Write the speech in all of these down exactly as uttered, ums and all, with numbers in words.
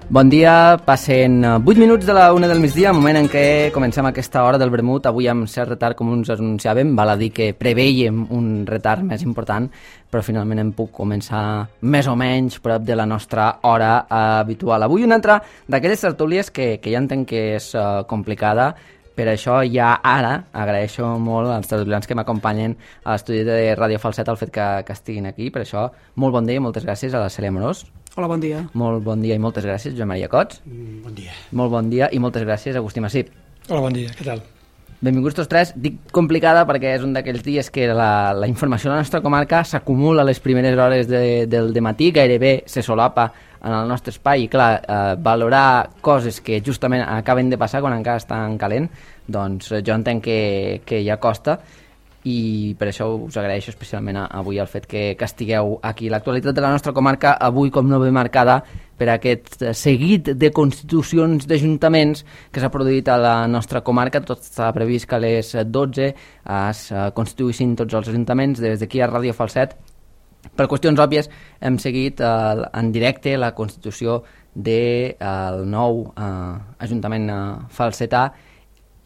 Bon dia, passen vuit minuts de la una del migdia, moment en què comencem aquesta hora del vermut, avui amb cert retard com ens anunciàvem, val a dir que preveiem un retard més important, però finalment hem pogut començar més o menys prop de la nostra hora habitual. Avui una altra d'aquelles tertúlies que, que ja entenc que és uh, complicada, per això ja ara agraeixo molt als tertulians que m'acompanyen a l'estudi de Ràdio Falset el fet que, que estiguin aquí, per això molt bon dia i moltes gràcies a la Cèlia Amorós. Hola, bon dia. Molt bon dia i moltes gràcies, Joan Maria Cots. Mm, bon dia. Molt bon dia i moltes gràcies, Agustí Massip. Hola, bon dia, què tal? Benvinguts tots tres. Dic complicada perquè és un d'aquells dies que la, la informació de la nostra comarca s'acumula a les primeres hores de, del dematí, gairebé se solapa en el nostre espai i clar, eh, valorar coses que justament acaben de passar quan encara estan calent, doncs jo entenc que, que ja costa, i per això us agraeixo especialment avui el fet que, que estigueu aquí. L'actualitat de la nostra comarca avui com no ve marcada per aquest seguit de constitucions d'ajuntaments que s'ha produït a la nostra comarca. Tot està previst que a les dotze es constituïssin tots els ajuntaments. Des d'aquí a Ràdio Falset, per qüestions òbvies, hem seguit eh, en directe la constitució del de, nou eh, ajuntament eh, falsetà,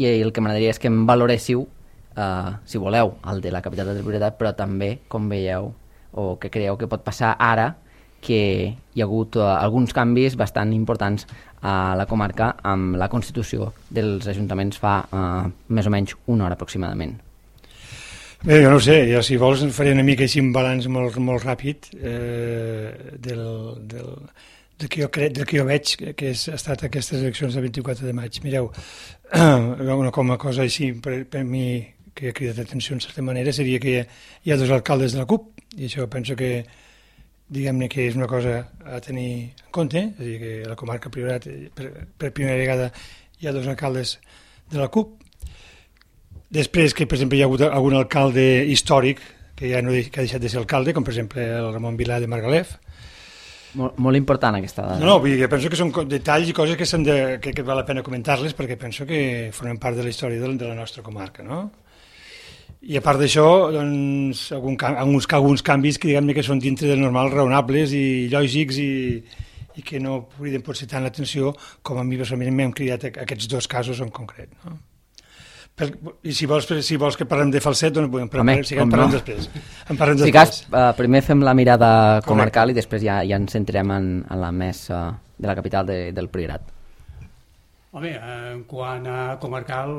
i el que m'agradaria és que em valoréssiu Uh, si voleu, el de la capital del Priorat, però també, com veieu, o que creieu que pot passar ara, que hi ha hagut uh, alguns canvis bastant importants a la comarca amb la constitució dels ajuntaments fa uh, més o menys una hora aproximadament. Bé, jo no ho sé, jo si vols faré una mica així un balanç molt, molt ràpid eh, del, del, del, que jo cre... del que jo veig que ha estat aquestes eleccions del vint-i-quatre de maig. Mireu, una com a cosa així per, per mi que ha cridat atenció en certa manera seria que hi ha dos alcaldes de la CUP, i això penso que diguem-ne que és una cosa a tenir en compte, és a dir, que a la comarca Priorat per, per primera vegada hi ha dos alcaldes de la CUP. Després que, per exemple, hi ha hagut algun alcalde històric que ja no que ha deixat de ser alcalde, com per exemple el Ramon Vilà de Margalef. Molt, molt important aquesta dada. No, no, vull dir que penso que són detalls i coses que, de, que, que val la pena comentar-les perquè penso que formen part de la història de, de la nostra comarca, no? I a part d'això, doncs, algun, alguns, alguns canvis que diguem-ne que són dintre del normal, raonables i lògics i, i que no criden potser tant l'atenció com a mi personalment m'han cridat aquests dos casos en concret, no? Per, I si vols, si vols que parlem de Falset, doncs podem parlar, Home, si en parlem no. després. En parlem si després. Cas, uh, primer fem la mirada comarcal Correcte. I després ja, ja ens centrem en, en la més uh, de la capital de, del Priorat. Home, en quant a comarcal,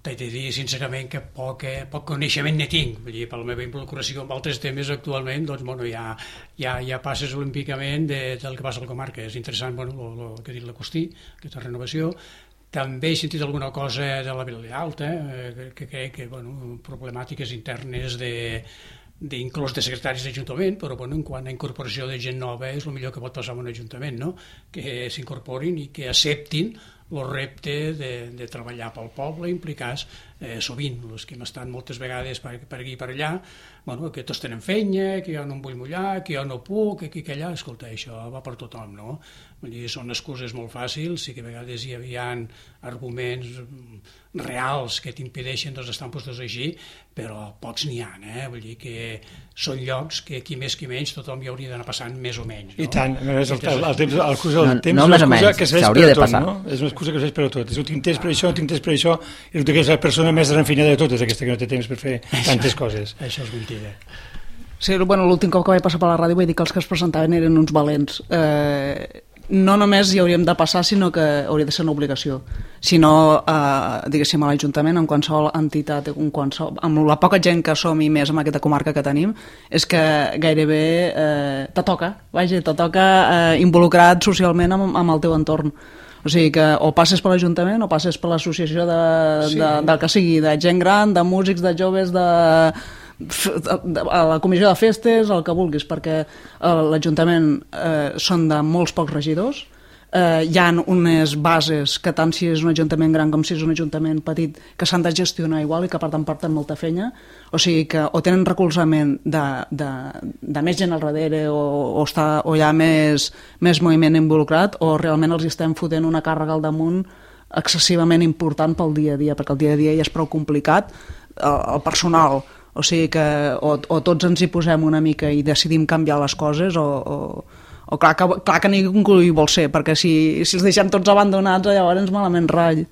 t'he de dir sincerament que poc, eh, poc coneixement ne tinc. Vull dir, per la meva involucració en altres temes actualment, doncs, bueno, ja, ja, ja passes olímpicament de, del que passa a la comarca. És interessant, bueno, el que ha dit l'Agustí, aquesta renovació. També he sentit alguna cosa de la Vila Alta, eh, que, que crec que, bueno, problemàtiques internes de d'inclús de secretaris d'Ajuntament, però bueno, en quant a incorporació de gent nova és el millor que pot passar en un Ajuntament, no? Que s'incorporin i que acceptin el repte de, de treballar pel poble, implicats eh, sovint, els que hem estat moltes vegades per, per aquí i per allà, bueno, que tots tenen feina, que jo no em vull mullar, que jo no puc, que aquí que allà, escolta, això va per tothom, no? Vull dir, són excuses molt fàcils, sí que a vegades hi havia arguments reals que t'impedeixen doncs, estar en postos així, però pocs n'hi ha, eh? Vull dir que són llocs que qui més qui menys tothom hi hauria d'anar passant més o menys, no? I tant, a més, el, el, el temps, el curs del no, temps no, és una excusa que serveix per a tot, passar. No? És una excusa que serveix per a tot. És un tinc temps per això, un tinc temps per això, i resulta que és la persona més refinada de totes, aquesta que no té temps per fer tantes coses. Això és mentida. Sí, bueno, l'últim cop que vaig passar per la ràdio vaig dir que els que es presentaven eren uns valents. Eh, no només hi hauríem de passar, sinó que hauria de ser una obligació. Si no, eh, diguéssim, a l'Ajuntament, en qualsevol entitat, en qualsevol, amb la poca gent que som i més en aquesta comarca que tenim, és que gairebé eh, te toca, vaja, te toca eh, involucrat socialment amb, amb el teu entorn. O sigui que o passes per l'Ajuntament o passes per l'associació de, sí. de, del que sigui, de gent gran, de músics, de joves, de... a la comissió de festes, el que vulguis, perquè l'Ajuntament eh, són de molts pocs regidors, eh, hi ha unes bases que tant si és un ajuntament gran com si és un ajuntament petit que s'han de gestionar igual i que per tant porten molta feina, o sigui que o tenen recolzament de, de, de més gent al darrere o, o, està, o hi ha més, més moviment involucrat o realment els estem fotent una càrrega al damunt excessivament important pel dia a dia, perquè el dia a dia ja és prou complicat, el, el personal. O sigui que o, o tots ens hi posem una mica i decidim canviar les coses o, o, O clar que, clar que ningú hi vol ser, perquè si, si els deixem tots abandonats, llavors malament ratll.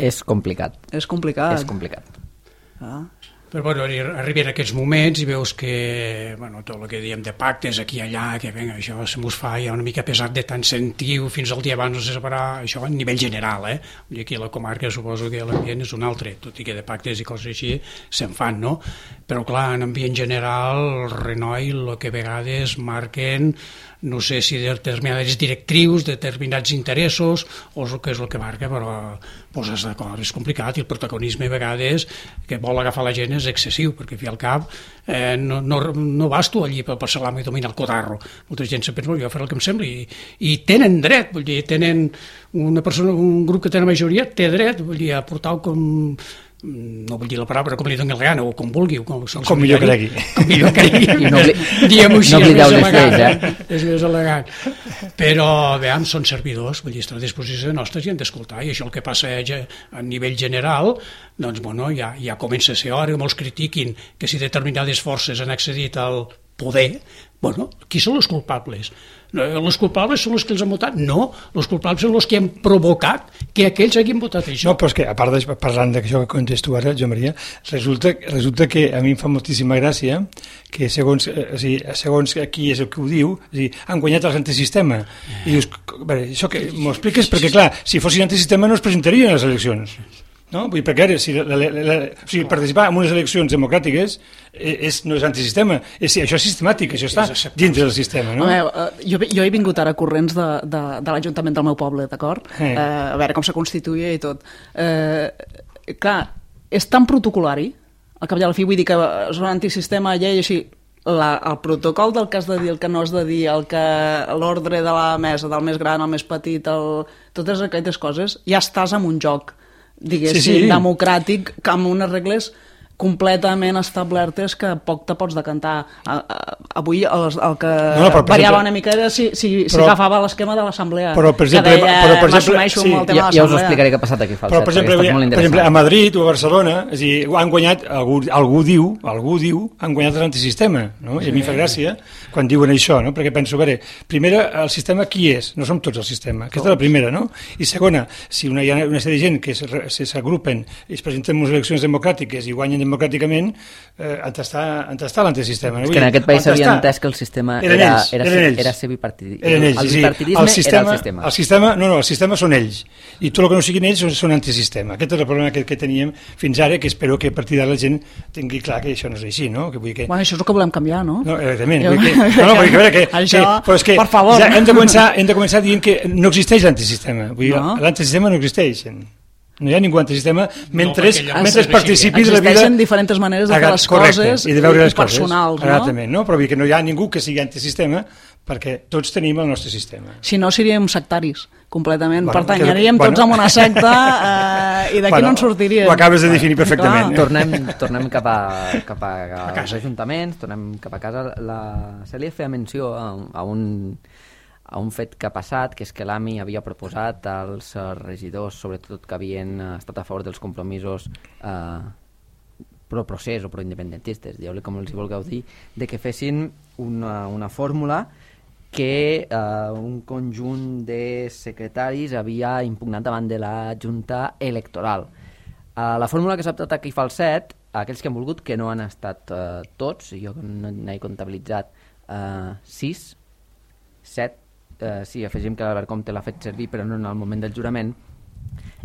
És complicat. És complicat. És complicat. Ah. Però bueno, arriben aquests moments i veus que bueno, tot el que diem de pactes aquí i allà, que venga, això se mos fa ja una mica pesat de tant sentiu fins al dia abans no se separar, això a nivell general, eh? I aquí a la comarca suposo que l'ambient és un altre, tot i que de pactes i coses així se'n fan, no? Però clar, en ambient general, el Renoi el que a vegades marquen no sé si determinades directrius, determinats interessos, o és el que és el que marca, però poses d'acord, és complicat, i el protagonisme a vegades que vol agafar la gent és excessiu, perquè fi al cap eh, no, no, no vas tu allí per passar-la i dominar el cotarro. Molta gent se pensa, jo faré el que em sembli, i, i tenen dret, vull dir, tenen una persona, un grup que té la majoria, té dret, vull dir, a portar com no vull dir la paraula, com li doni la gana, o com vulgui, o com, com millor cregui. Com millor cregui. I no, diguem-ho així, no és més les elegant. lleis, eh? És més elegant. Però, veiem, són servidors, vull dir, estan a disposició nostres i han d'escoltar, i això el que passa a nivell general, doncs, bueno, ja, ja comença a ser hora que molts critiquin que si determinades forces han accedit al poder, bueno, qui són els culpables? Els culpables són els que els han votat? No, els culpables són els que han provocat que aquells hagin votat això. No, però és que, a part de parlant d'això que contes tu ara, jo Maria, resulta, resulta que a mi em fa moltíssima gràcia que segons, eh, o sigui, segons qui és el que ho diu, o sigui, han guanyat els antisistema. I dius, a veure, això que m'ho expliques perquè, clar, si fossin antisistema no es presentarien a les eleccions. No? Vull dir, perquè ara, si la, la, la, o sigui, participar en unes eleccions democràtiques és, no és antisistema, és, això és sistemàtic, això està dintre del sistema. No? Veure, jo, jo he vingut ara corrents de, de, de l'Ajuntament del meu poble, d'acord? Eh. Eh, a veure com se constituïa i tot. Eh, clar, és tan protocolari, al cap i a la fi, vull dir que són antisistema, llei, així, la, el protocol del que has de dir, el que no has de dir, el que l'ordre de la mesa, del més gran al més petit, el, totes aquestes coses, ja estàs en un joc, diguéssim, sí, sí. democràtic, que amb unes regles completament establertes que poc te pots decantar. Avui el, el que no, no, variava una mica era si, si, però, si agafava l'esquema de l'assemblea, però per exemple, que deia, però, per exemple sí, ja, ja us explicaré què ha passat aquí, Falset, però per exemple, per exemple, a Madrid o a Barcelona, és a dir, han guanyat, algú, algú diu, algú diu, han guanyat l'antisistema, no? I a mi fa gràcia quan diuen això, no? Perquè penso, a veure, primera, el sistema qui és? No som tots el sistema, aquesta és la primera, no? I segona, si una, hi ha una sèrie de gent que s'agrupen i es presenten en unes eleccions democràtiques i guanyen democràticament, eh, on està, està l'antisistema. És que en aquest país s'havia entès que el sistema era, ells, era, eren era ser bipartidisme. Eren ells, el sí, bipartidisme el sistema, era el sistema. El sistema. No, no, el sistema són ells. I tot el que no siguin ells són, són antisistema. Aquest és el problema que, que teníem fins ara, que espero que a partir d'ara la gent tingui clar que això no és així, no? Que vull que... Bueno, això és el que volem canviar, no? No, evidentment. Jo... Que... No, no, vull que, que, això, que, però és que, per favor. Ja hem, de començar, hem de començar dient que no existeix l'antisistema. Vull dir, no? L'antisistema no existeix. No hi ha ningú antisistema mentre, no, mentre participi de la vida... Existeixen diferents maneres de fer les correcte, coses i de veure les personals, coses. Exactament, no? Però vull que no hi ha ningú que sigui antisistema perquè tots tenim el nostre sistema. Si no, seríem sectaris, completament. Bueno, Pertanyaríem que, tots bueno. a una secta eh, i d'aquí bueno, no en sortiríem. Ho acabes de definir perfectament. Tornem, tornem cap, a, cap a, a als ajuntaments, tornem cap a casa. La Cèlia feia menció a, a un... a un fet que ha passat, que és que l'A M I havia proposat als regidors, sobretot que havien estat a favor dels compromisos eh, pro-procés o pro-independentistes, dieu-li com els hi vulgueu dir, de que fessin una, una fórmula que eh, un conjunt de secretaris havia impugnat davant de la Junta Electoral. Eh, la fórmula que s'ha optat aquí Falset, aquells que han volgut, que no han estat eh, tots, jo n'he comptabilitzat eh, sis, set, Uh, sí, afegim que l'Albert Comte l'ha fet servir però no en el moment del jurament,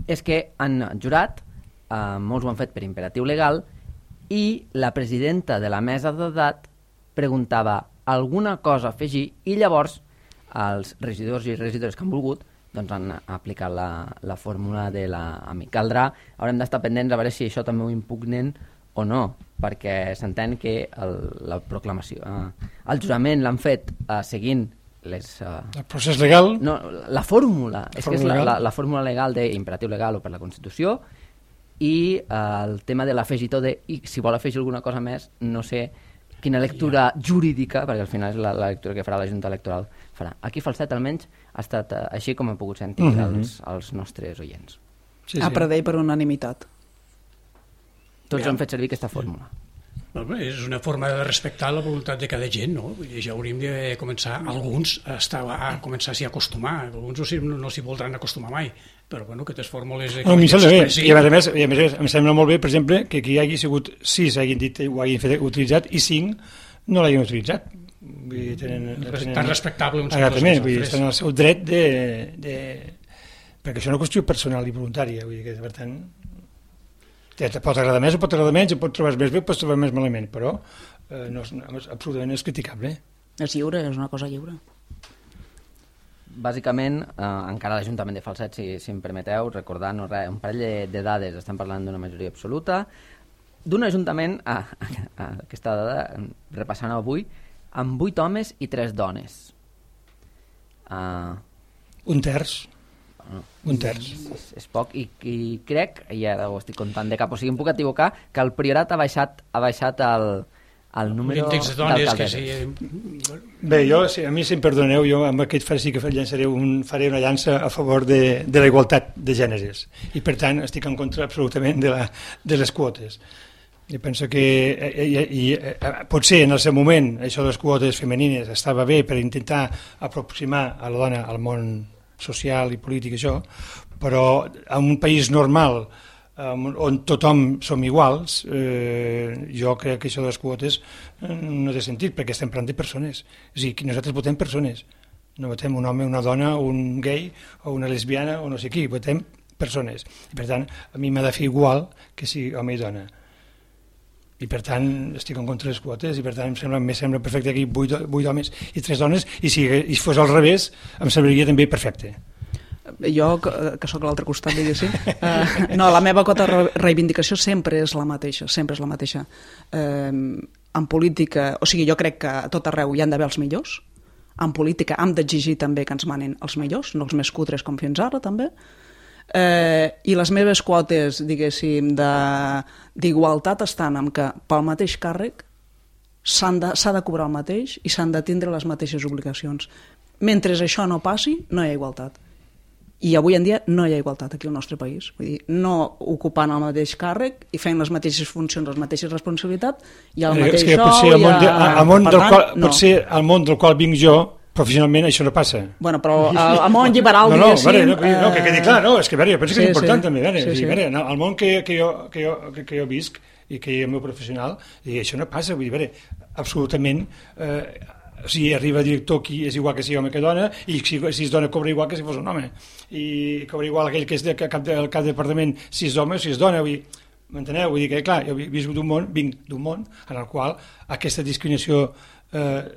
és que han jurat, uh, molts ho han fet per imperatiu legal, i la presidenta de la mesa d'edat preguntava alguna cosa a afegir i llavors els regidors i regidores que han volgut doncs han aplicat la, la fórmula de l'A M I. Caldrà, haurem d'estar pendents a veure si això també ho impugnen o no, perquè s'entén que el, la proclamació, uh, el jurament l'han fet uh, seguint Les, uh... el procés legal, no, la fórmula, la és fórmula que és la, legal. la, la fórmula legal d'imperatiu legal o per la Constitució, i uh, el tema de l'afegitó de, i si vol afegir alguna cosa més, no sé quina lectura jurídica, perquè al final és la, la lectura que farà la Junta Electoral farà. Aquí Falset almenys ha estat uh, així com he pogut sentir uh-huh. els, els nostres oients. Sí, sí. A predell per unanimitat. Tots ja. han fet servir aquesta fórmula. És una forma de respectar la voluntat de cada gent, no? Ja hauríem de començar, alguns, a, estar, a començar a s'hi acostumar, alguns no, no s'hi voldran acostumar mai, però bueno, aquestes fórmules... No, a mi em sembla bé, i a més, i a més em sembla molt bé, per exemple, que aquí hi hagi sigut sis hagin dit, ho hagin fet, utilitzat, i cinc no l'hagin utilitzat. Vull dir, tenen, tenen... Tan respectable uns Exactament, vull dir, estan al seu dret de, de... perquè això és una qüestió personal i voluntària, vull dir que, per tant, te pot agradar més o pot agradar menys, o pot trobar més bé o pot trobar més malament, però eh, no, és, absolutament és criticable. És lliure, és una cosa lliure. Bàsicament, eh, encara l'Ajuntament de Falset, si, si em permeteu, recordant un parell de, de dades, estem parlant d'una majoria absoluta, d'un Ajuntament, ah, ah, aquesta dada, repassant avui, amb vuit homes i tres dones. Uh, un terç. Bueno, un terç. És, és poc, i, i crec, i ara ho estic comptant de cap, o sigui, em puc equivocar, que el Priorat ha baixat, ha baixat el, el número d'alcaldes. Sí. Bé, jo, si a mi, si em perdoneu, jo amb aquest faré, sí que llançaré un, faré una llança a favor de, de la igualtat de gèneres, i per tant estic en contra absolutament de, la, de les quotes. I penso que i, i, i, potser en el seu moment això de les quotes femenines estava bé per intentar aproximar a la dona al món social i polític, això, però en un país normal on tothom som iguals, eh, jo crec que això de les quotes no té sentit, perquè estem parlant de persones. És a dir, nosaltres votem persones, no votem un home, una dona, un gay o una lesbiana o no sé qui, votem persones. I per tant, a mi m'ha de fer igual que si home i dona. I per tant estic en contra de les quotes i per tant em sembla, em sembla perfecte aquí vuit, vuit homes i tres dones, i si, i si fos al revés em semblaria també perfecte. Jo, que, que sóc a l'altre costat, diguéssim, eh, no, la meva cota de reivindicació sempre és la mateixa, sempre és la mateixa. Eh, en política, o sigui, jo crec que a tot arreu hi han d'haver els millors, en política hem d'exigir també que ens manen els millors, no els més cutres com fins ara també, eh, i les meves quotes, diguéssim, d'igualtat estan en que pel mateix càrrec s'ha de, de cobrar el mateix i s'han de tindre les mateixes obligacions. Mentre això no passi, no hi ha igualtat. I avui en dia no hi ha igualtat aquí al nostre país. Vull dir, no ocupant el mateix càrrec i fent les mateixes funcions, les mateixes responsabilitats, i el mateix sou... Potser al món, de, al món del qual, no. Potser al món del qual vinc jo, professionalment, això no passa. Bueno, però al món lliberal, no, no, diguéssim... Vale, no, no, que quedi clar, no, és que, veure, jo penso sí, que és important sí, també, veure, sí, sí, sí. Veure, no, el món que, que, jo, que, jo, que, que jo visc i que és el meu professional, i això no passa, vull dir, veure, absolutament... Eh, si arriba director qui és igual que si home que dona, i si, si es dona cobra igual que si fos un home, i cobra igual aquell que és de cap, de, cap de departament si és home o si és dona, vull dir, m'enteneu? Vull dir que, clar, jo visc d'un món, vinc d'un món en el qual aquesta discriminació eh,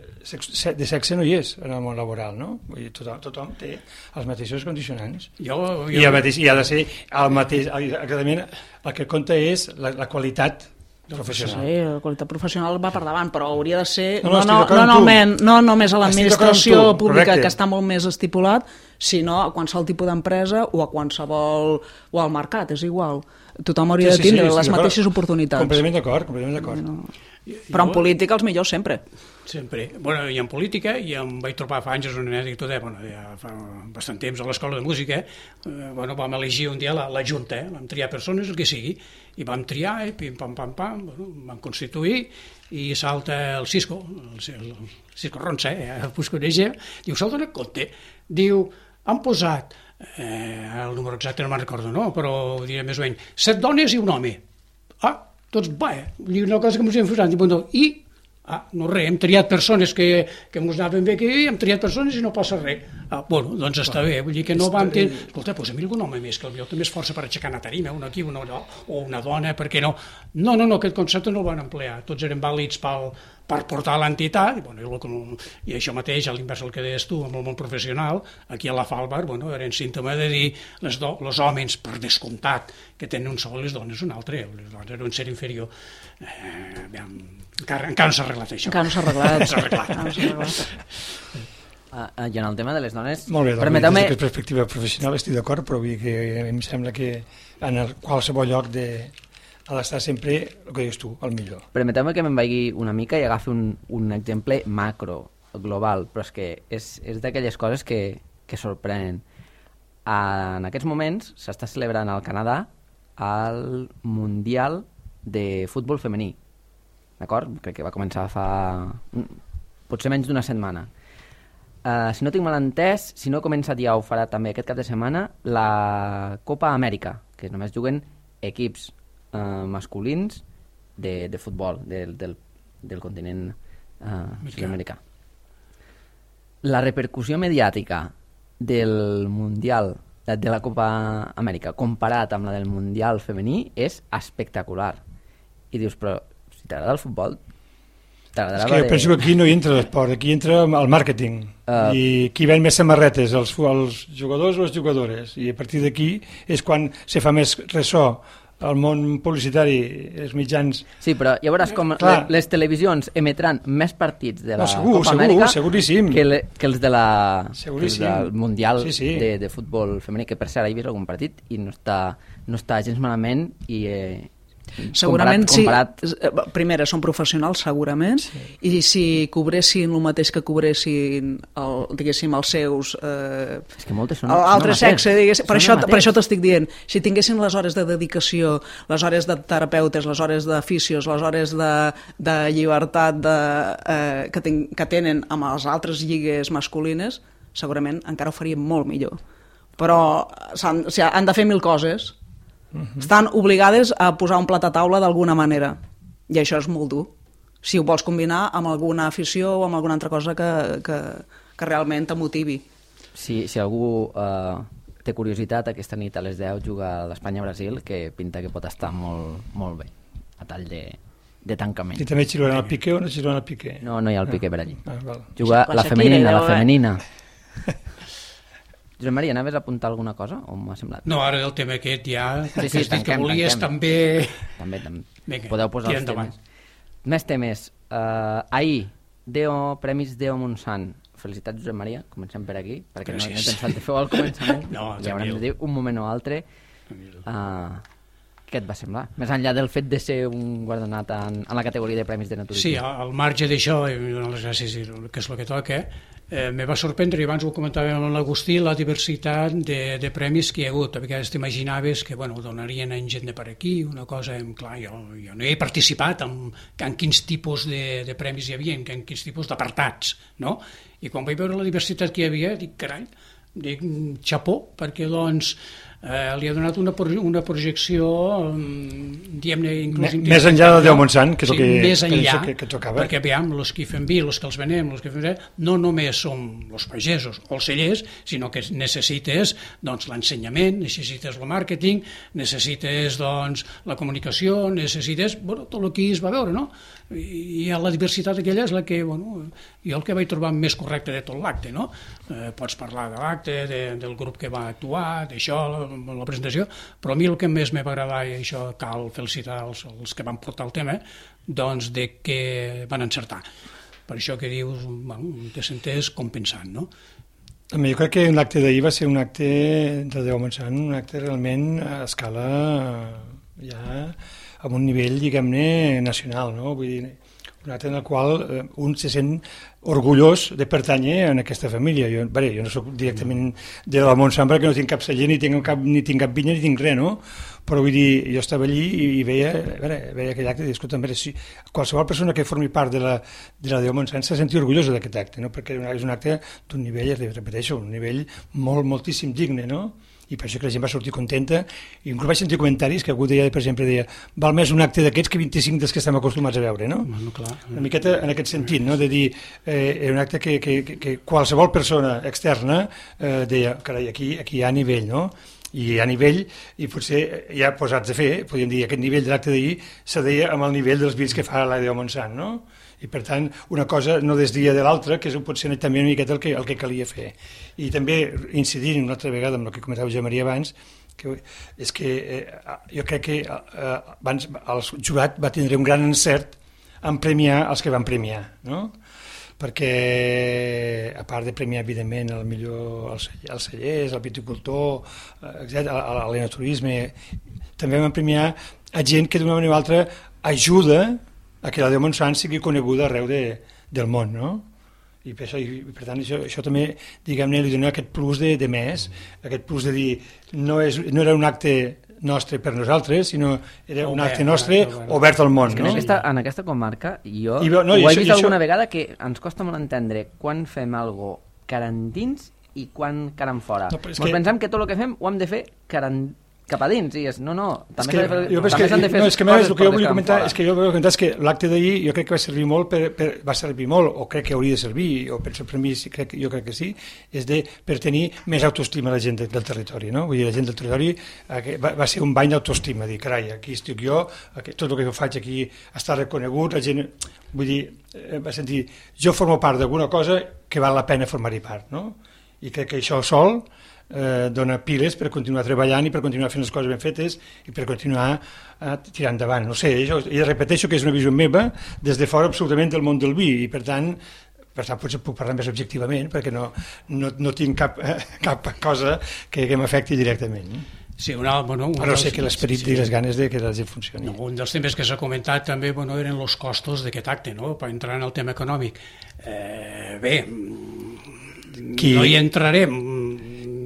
de sexe no hi és en el món laboral, no? Vull dir, tothom, tothom té els mateixos condicionants. Jo, jo... I, el mateix, i ha de ser el mateix, exactament, el que compta és la, la qualitat professional. Sí, la qualitat professional va per davant, però hauria de ser no, no, no, no, no, no, no només a l'administració pública, correcte, que està molt més estipulat, sinó a qualsevol tipus d'empresa o a qualsevol... o al mercat, és igual. Tothom hauria sí, sí, de tindre sí, les mateixes oportunitats. Completament d'acord, completament d'acord. No. Però en política els millors sempre. Sempre. Bueno, i en política, i em vaig trobar fa anys, és una anècdota, bueno, ja fa bastant temps a l'escola de música, eh, bueno, vam elegir un dia la, la junta, eh, vam triar persones, el que sigui, i vam triar, eh, pim, pam, pam, pam, bueno, vam constituir, i salta el Cisco, el, el Cisco Ronça, eh, us coneix, diu, se'l dona compte, diu, han posat, eh, el número exacte no me'n recordo, no? Però ho diré més o menys, set dones i un home. Ah, tots, va, eh? Una cosa que ens hem posat, i ah, no res, hem triat persones que, que ens anaven bé, que hem triat persones i no passa res. Ah, bueno, doncs està bé, vull dir que no vam tenir... Escolta, posa-m'hi algun home més, que potser té més força per aixecar una tarima, una aquí, una allò, o una dona, per què no? No, no, no, aquest concepte no el van emplear, tots eren vàlids pel, per portar l'entitat, i, bueno, i, i això mateix, a l'invers del que deies tu, amb el món professional, aquí a la Falbar, bueno, eren símptoma de dir les, do, les homes, per descomptat, que tenen un sol i les dones un altre, les dones eren un ser inferior. Eh, aviam, encara, encara no s'ha arreglat això. Encara no s'ha arreglat. no s'ha arreglat. No s'ha arreglat. Uh, uh, I en el tema de les dones... Molt bé, doncs, permeteu-me... des d'aquesta perspectiva professional estic d'acord, però vull dir que em sembla que en el qualsevol lloc de, ha d'estar sempre, el que dius tu, el millor. Permeteu-me que me'n vagi una mica i agafi un, un exemple macro, global, però és que és, és d'aquelles coses que, que sorprenen. Uh, en aquests moments s'està celebrant al Canadà el Mundial de futbol femení. d'acord? Crec que va començar fa potser menys d'una setmana. Uh, si no tinc mal entès, si no he començat ja ho farà també aquest cap de setmana, la Copa Amèrica, que només juguen equips uh, masculins de, de futbol del, del, del continent uh, sud-americà. La repercussió mediàtica del Mundial, de la Copa Amèrica, comparat amb la del Mundial femení, és espectacular. I dius, però si t'agrada el futbol, és que jo penso que aquí no hi entra l'esport, aquí entra el màrqueting, uh, i qui ven més samarretes, els, els jugadors o les jugadores, i a partir d'aquí és quan se fa més ressò al món publicitari, els mitjans... Sí, però ja veuràs com les, les televisions emetran més partits de la no, segur, Copa segur, Amèrica seguríssim. Que, le, que els, de la, que els del Mundial sí, sí. De, de futbol femení, que per cert he vist algun partit i no està, no està gens malament i... Eh, segurament comparat, comparat... sí, primera són professionals segurament sí. I si cobressin el mateix que cobressin el, diguéssim els seus eh, és que moltes són altre sexe per això, per això t'estic dient, si tinguessin les hores de dedicació, les hores de terapeutes, les hores de fisios, les hores de, de llibertat de, eh, que, ten, que tenen amb les altres lligues masculines, segurament encara ho farien molt millor, però s'han, o sigui, han de fer mil coses. Uh-huh. Estan obligades a posar un plat a taula d'alguna manera i això és molt dur si ho vols combinar amb alguna afició o amb alguna altra cosa que, que, que realment te motivi. Si, si algú uh, té curiositat, aquesta nit a les deu juga l'Espanya-Brasil, que pinta que pot estar molt, molt bé a tall de, de tancament. I també xiulen el Piqué o no xiulen el Piqué? No, no hi ha el Piqué per allí. Ah, juga la femenina, la femenina. Josep Maria, anaves a apuntar alguna cosa o m'ha semblat? No, ara el tema aquest ja, sí, sí, tanquem, que volies tanquem. també... També, també. Vinga, podeu posar els temes. Més temes. Uh, ahir, Deo, Premis Deo Montsant. Felicitats, Josep Maria, comencem per aquí, perquè Gràcies. No he pensat de fer al començament. No, ja haurem de dir un moment o altre. Uh, què et va semblar? Més enllà del fet de ser un guardonat en, en la categoria de Premis de Naturisme. Sí, al marge d'això, i donar les gràcies, que és el que toca, Eh, me va sorprendre, i abans ho comentàvem amb l'Agustí, la diversitat de, de premis que hi ha hagut. A vegades t'imaginaves que bueno, donarien en gent de per aquí, una cosa, clar, jo, jo no he participat en, en quins tipus de, de premis hi havia, en quins tipus d'apartats, no? I quan vaig veure la diversitat que hi havia, dic, carai, dic, xapó, perquè doncs eh, li ha donat una, una projecció, diguem-ne, inclús... M més enllà del Déu Montsant, que és el sí, que, més enllà, que, que tocava. Perquè, aviam, els que fem vi, els que els venem, els que fem... no només som els pagesos o els cellers, sinó que necessites doncs, l'ensenyament, necessites el màrqueting, necessites doncs, la comunicació, necessites bueno, tot el que es va veure, no? I la diversitat aquella és la que, bueno, jo el que vaig trobar més correcte de tot l'acte, no? Eh, pots parlar de l'acte, de, del grup que va actuar, d'això, la, la presentació, però a mi el que més me va agradar, i això cal felicitar els, els que van portar el tema, doncs de que van encertar. Per això que dius, bueno, te sentes compensant, no? Jo crec que l'acte d'ahir va ser un acte de Déu Montsant, un acte realment a escala ja amb un nivell, diguem-ne, nacional, no? Vull dir, un acte en el qual eh, un se sent orgullós de pertànyer a aquesta família. Jo, bé, jo no soc directament de la Montsant perquè no tinc cap celler, ni tinc cap, ni tinc cap vinya, ni tinc res, no? Però vull dir, jo estava allí i, i veia, veure, veia aquell acte i dic, escolta, veure, si qualsevol persona que formi part de la, de la Déu Montsant se senti orgullosa d'aquest acte, no? Perquè és un acte d'un nivell, repeteixo, un nivell molt, moltíssim digne, no? I per això que la gent va sortir contenta, i inclús vaig sentir comentaris que algú deia, per exemple, deia, val més un acte d'aquests que vint-i-cinc dels que estem acostumats a veure, no? Bueno, clar. Una miqueta en aquest sentit, no? De dir, eh, un acte que, que, que qualsevol persona externa eh, deia, carai, aquí, aquí hi ha nivell, no? I hi ha nivell, i potser ja posats a fer, podríem dir, aquest nivell de l'acte d'ahir se deia amb el nivell dels vins que fa la Déu Montsant, no? I per tant una cosa no desdia de l'altra, que és potser també una miqueta el que, el que calia fer. I també incidint una altra vegada amb el que comentava Josep Maria abans, que és que eh, jo crec que eh, abans el jurat va tindre un gran encert en premiar els que van premiar, no? Perquè a part de premiar evidentment el millor els cellers, el viticultor, etcètera, l'enoturisme, també van premiar a gent que d'una manera o altra ajuda a que la Déu Montsant sigui coneguda arreu de, del món, no? I per, això, i per tant això, això també, diguem-ne, li dona aquest plus de, de més, aquest plus de dir, no, és, no era un acte nostre per nosaltres, sinó era un Obert, acte nostre obert, obert al món. És que No? en aquesta, en aquesta comarca jo I, no, ho he i això- vist i això- alguna vegada que ens costa molt entendre quan fem algo caran dins i quan caran fora. No, però és Ens que- pensem que tot el que fem ho hem de fer caran cap a dins, i és, no, no, És també que, s'ha de fer, jo penso també que, s'han de fer no, és que, coses el que per jo les vull caran comentar fora. és que jo vull comentar és que l'acte d'ahir jo crec que va servir molt per, per, va servir molt, o crec que hauria de servir, o penso per mi, sí, crec, jo crec que sí, és de, per tenir més autoestima a la gent de, del territori, no? Vull dir, la gent del territori eh, va, va ser un bany d'autoestima, dir, carai, aquí estic jo, aquí, tot el que jo faig aquí està reconegut, la gent, vull dir, eh, va sentir, jo formo part d'alguna cosa que val la pena formar-hi part, no? I crec que això sol eh, dona piles per continuar treballant i per continuar fent les coses ben fetes i per continuar eh, tirant endavant. No sé, jo, jo repeteixo que és una visió meva des de fora absolutament del món del vi i per tant, per tant potser puc parlar més objectivament perquè no, no, no tinc cap, eh, cap cosa que, que m'afecti directament. No? Sí, una, bueno, un Però dels, sé que l'esperit sí, sí. i les ganes de que la gent funcioni. No, un dels temes que s'ha comentat també bueno, eren els costos d'aquest acte, no? Per entrar en el tema econòmic. Eh, bé, Qui... no hi entrarem,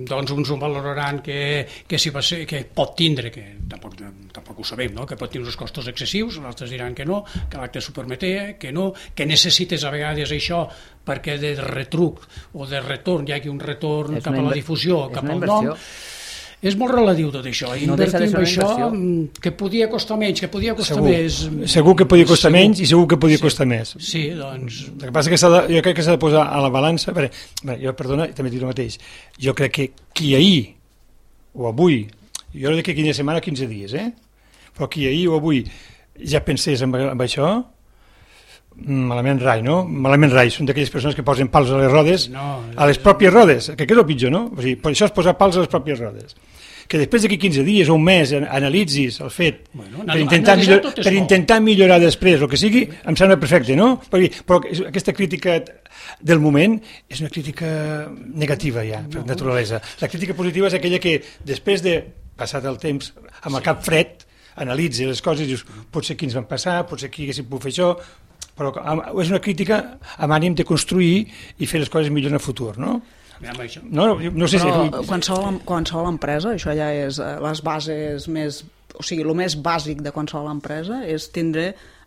doncs uns ho valoraran que, que, si va ser, que pot tindre, que tampoc, tampoc ho sabem, no? Que pot tindre uns costos excessius, els altres diran que no, que l'acte s'ho permeté, que no, que necessites a vegades això perquè de retruc o de retorn, hi hagi un retorn cap a la difusió, cap al nom. És molt relatiu tot això, no invertir en això inversió. Que podia costar menys, que podia costar segur. més. Segur que podia costar segur. menys i segur que podia sí. costar més. Sí, doncs... El que passa que s'ha de, jo crec que s'ha de posar a la balança, bé, bé, jo, perdona, també dic el mateix, jo crec que qui ahir o avui, jo no dic que quinze setmana, quinze dies, eh? Però qui ahir o avui ja pensés en, en això, malament rai, no? Malament rai, són d'aquelles persones que posen pals a les rodes, no, a les pròpies rodes, que és el pitjor, no? O sigui, per això és posar pals a les pròpies rodes. Que després d'aquí quinze dies o un mes analitzis el fet bueno, per, intentar millor, per intentar millorar després el que sigui, em sembla perfecte, no? Perquè, però aquesta crítica del moment és una crítica negativa ja, per no. naturalesa. La crítica positiva és aquella que després de passat el temps amb el cap fred analitzi les coses i dius, potser aquí ens van passar, potser aquí haguéssim pogut fer això, però és una crítica amb ànim de construir i fer les coses millor en el futur, no? No, no sé però si... qualsevol, qualsevol empresa, això ja és les bases més, o sigui, el més bàsic de qualsevol empresa és tindre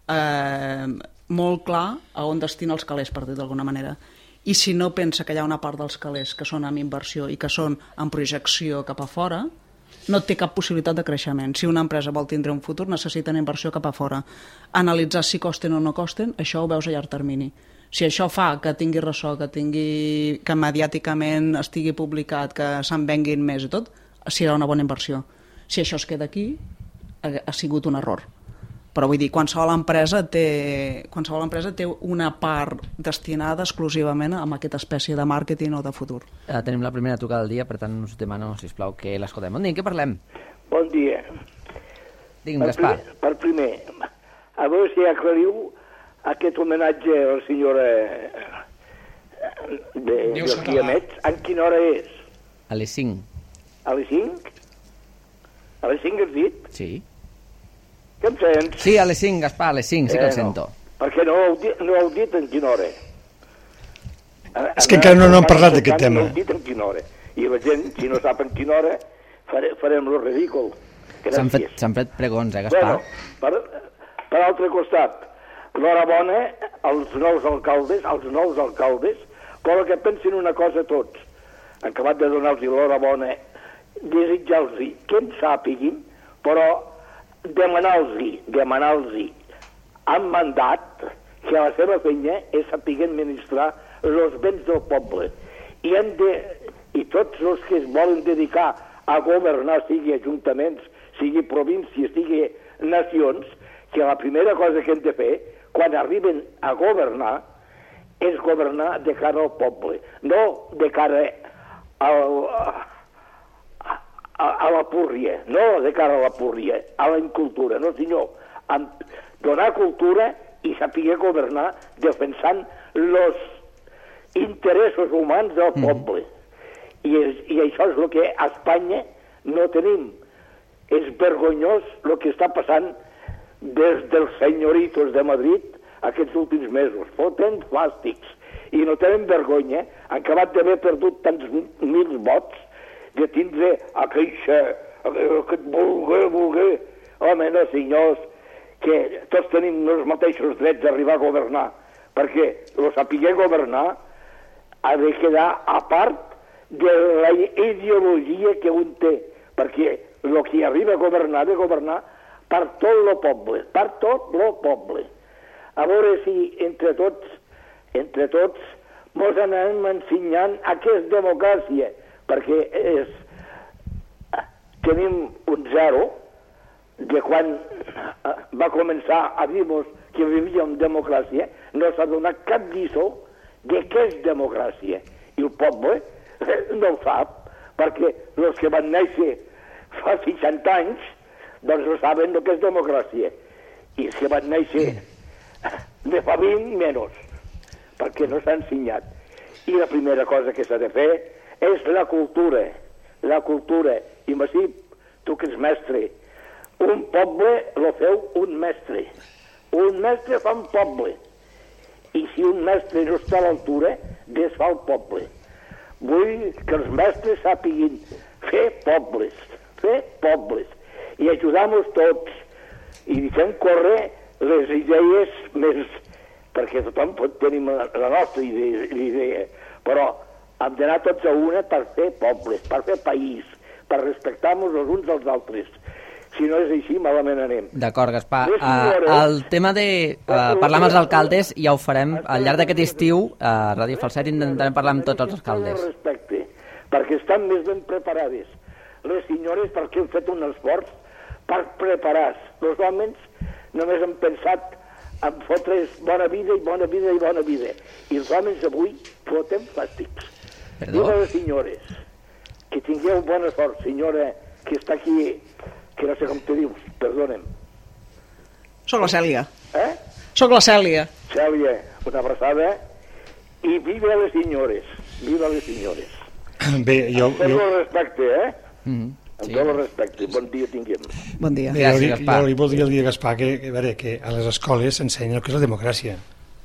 eh, molt clar a on destina els calés, per dir d'alguna manera. I si no pensa que hi ha una part dels calés que són amb inversió i que són en projecció cap a fora, no té cap possibilitat de creixement. Si una empresa vol tindre un futur, necessita una inversió cap a fora. Analitzar si costen o no costen, això ho veus a llarg termini. Si això fa que tingui ressò, que tingui que mediàticament estigui publicat, que se'n venguin més i tot, serà una bona inversió. Si això es queda aquí, ha, ha sigut un error. Però vull dir, qualsevol empresa té, qualsevol empresa té una part destinada exclusivament a aquesta espècie de màrqueting o de futur. Eh, tenim la primera trucada del dia, per tant us demano, sisplau, que l'escoltem. Bon dia, què parlem? Bon dia. Digui'm, Gaspar. Per primer, a veure si aclariu aquest homenatge a la senyora de, dels Guiamets, en quina hora és? A les cinc. A les cinc? A les cinc has dit? Sí. Que em sents? Sí, a les cinc, Gaspar, a les cinc, sí que eh, el sento. No, perquè no heu dit, no heu dit en quina hora. És que encara no, no hem parlat d'aquest tema. No heu dit en quina hora. I la gent, si no sap en quina hora, fare, farem lo ridícul. S'han fet, s'han fet pregons, eh, Gaspar? Bueno, per, per altre costat, l'horabona als nous alcaldes, als nous alcaldes, però que pensin una cosa tots. Han acabat de donar-los l'horabona, desitjar-los que en sàpiguin, però demanar-los, demanar-los amb mandat que la seva feina és saber administrar els béns del poble. I, hem de, i tots els que es volen dedicar a governar, sigui ajuntaments, sigui províncies, sigui nacions, que la primera cosa que hem de fer quan arriben a governar és governar de cara al poble, no de cara al, a, a, a la púrria, no de cara a la púrria, a la incultura, no senyor, amb donar cultura i saber governar defensant els interessos humans del poble. Mm. I, és, I això és el que a Espanya no tenim. És vergonyós el que està passant des dels senyoritos de Madrid aquests últims mesos. Foten fàstics i no tenen vergonya. Han acabat d'haver perdut tants mil vots de tindre aquella, que et vulgui, vulgui. Home, no, senyors, que tots tenim els mateixos drets d'arribar a governar, perquè el saber governar ha de quedar a part de la ideologia que un té, perquè el que arriba a governar ha de governar per tot el poble, per tot el poble. A veure si entre tots, entre tots, mos anem ensenyant a què és democràcia, perquè és, tenim un zero de quan va començar a dir-nos que vivíem democràcia, no s'ha donat cap lliçó de què és democràcia. I el poble no ho sap, perquè els que van néixer fa seixanta anys, doncs no saben el que és democràcia. I els que van néixer de fa vint, menys, perquè no s'ha ensenyat. I la primera cosa que s'ha de fer és la cultura. La cultura. I Massip, tu que ets mestre, un poble lo feu un mestre. Un mestre fa un poble. I si un mestre no està a l'altura, desfà el poble. Vull que els mestres sàpiguin fer pobles, fer pobles, i ajudar-nos tots, i fem córrer les idees més, perquè tothom pot tenir la nostra idea, idea, però hem d'anar tots a una per fer pobles, per fer país, per respectar-nos els uns als altres. Si no és així, malament anem. D'acord, Gaspar. Uh, el tema de uh, parlar amb els alcaldes ja ho farem al llarg d'aquest estiu. A Ràdio Falset intentarem parlar amb tots els alcaldes. Respecte, perquè estan més ben preparades. Les senyores perquè han fet un esforç per preparar-se. Els homes només han pensat en fotre's bona vida i bona vida i bona vida. I els homes avui fotem plàstics. Perdó? Diu a les senyores que tingueu bona sort, senyora que està aquí, que no sé com te dius, perdonem. Soc la Cèlia. Eh? Soc la Cèlia. Cèlia, una abraçada i viva les senyores, viva les senyores. Bé, jo... Amb tot jo... el respecte, eh? Mm-hmm. Amb Sí. tot el respecte. Bon dia tinguem. Bon dia. Bé, Gràcies, jo, li- Gaspar. jo li voldria dir a Gaspar que, que, a veure, que a les escoles s'ensenya el que és la democràcia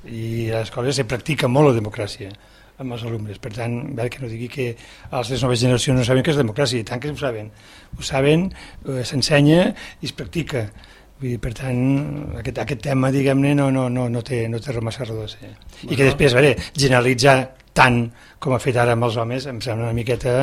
i a les escoles se practica molt la democràcia amb els alumnes, per tant, a veure, que no digui que les noves generacions no saben què és democràcia, i tant que ho saben, ho saben, eh, s'ensenya i es practica. Vull dir, per tant, aquest, aquest tema, diguem-ne, no, no, no, no té, no té massa raó de ser. I que després, a veure, generalitzar tant com ha fet ara amb els homes em sembla una miqueta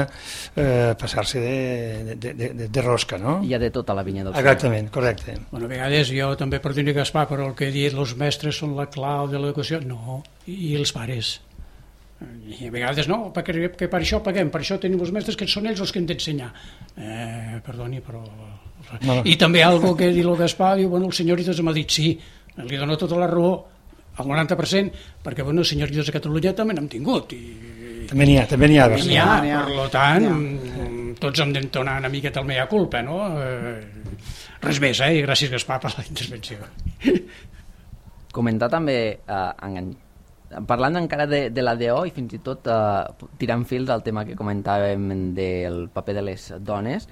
eh, passar-se de, de, de, de, de rosca, no? Hi ha de tota la vinya del Exactament, correcte. Bueno, a vegades jo també per dir Gaspar, però el que he dit, els mestres són la clau de l'educació, no, i els pares. I a vegades no, perquè que per això paguem, per això tenim els mestres que són ells els que han d'ensenyar. Eh, perdoni, però... No, no. I també algo que diu el Gaspar, diu, bueno, el senyoritas m'ha dit sí, li dono tota la raó, al noranta per cent, perquè, bueno, els senyoritas de Catalunya també n'hem tingut, i... També n'hi ha, també n'hi ha. N'hi ha, n'hi ha. per tant, ja. Tots hem d'entonar una miqueta el mea culpa, no? Eh, res més, eh? I gràcies, Gaspar, per la intervenció. Comentar també, eh, engan... parlant encara de, de la D O i fins i tot eh, tirant fils al tema que comentàvem del paper de les dones,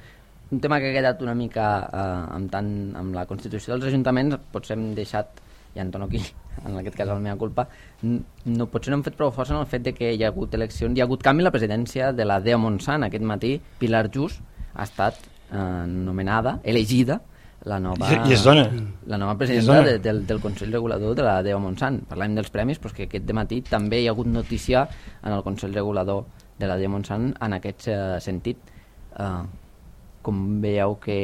un tema que ha quedat una mica eh, amb, tant, amb la Constitució dels Ajuntaments, potser hem deixat, ja en tono aquí, en aquest cas la meva culpa, no, potser no hem fet prou força en el fet de que hi ha hagut eleccions, hi ha hagut canvi a la presidència de la D O Montsant. Aquest matí Pilar Just ha estat eh, nomenada, elegida, la nova, I és dona. la nova I és presidenta dona. de, del, del Consell Regulador de la D O Montsant. Parlem dels premis, però que aquest dematí també hi ha hagut notícia en el Consell Regulador de la D O Montsant en aquest eh, sentit. Eh, com veieu que,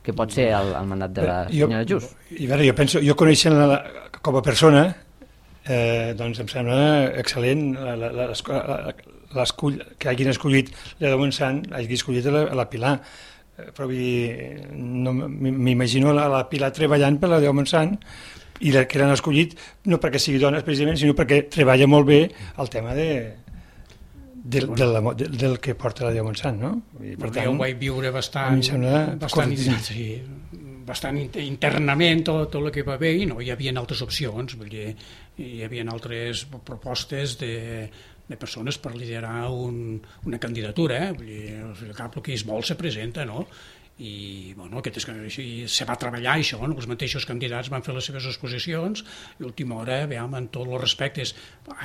que pot ser el, el mandat de la senyora Just? I a veure, jo penso, jo coneixent la, com a persona, eh, doncs em sembla excel·lent la, la, la, la, l'escull, que hagin escollit la de Montsant, hagi escollit la, la Pilar, eh, però vull dir, no, m'imagino la, la Pilar treballant per la de Montsant i la, que l'han escollit no perquè sigui dona precisament, sinó perquè treballa molt bé el tema de del, del, del, del que porta la de Montsant, no? I, per tant, jo ho vaig viure bastant, bastant, sí, bastant internament tot, tot el que va bé, i no hi havia altres opcions, vull dir, hi havia altres propostes de, de persones per liderar un, una candidatura, eh? Vull dir, cap el que es vol se presenta, no? I bueno, aquest és que així se va treballar això, no? Els mateixos candidats van fer les seves exposicions i a última hora, veiem, en tots els respectes,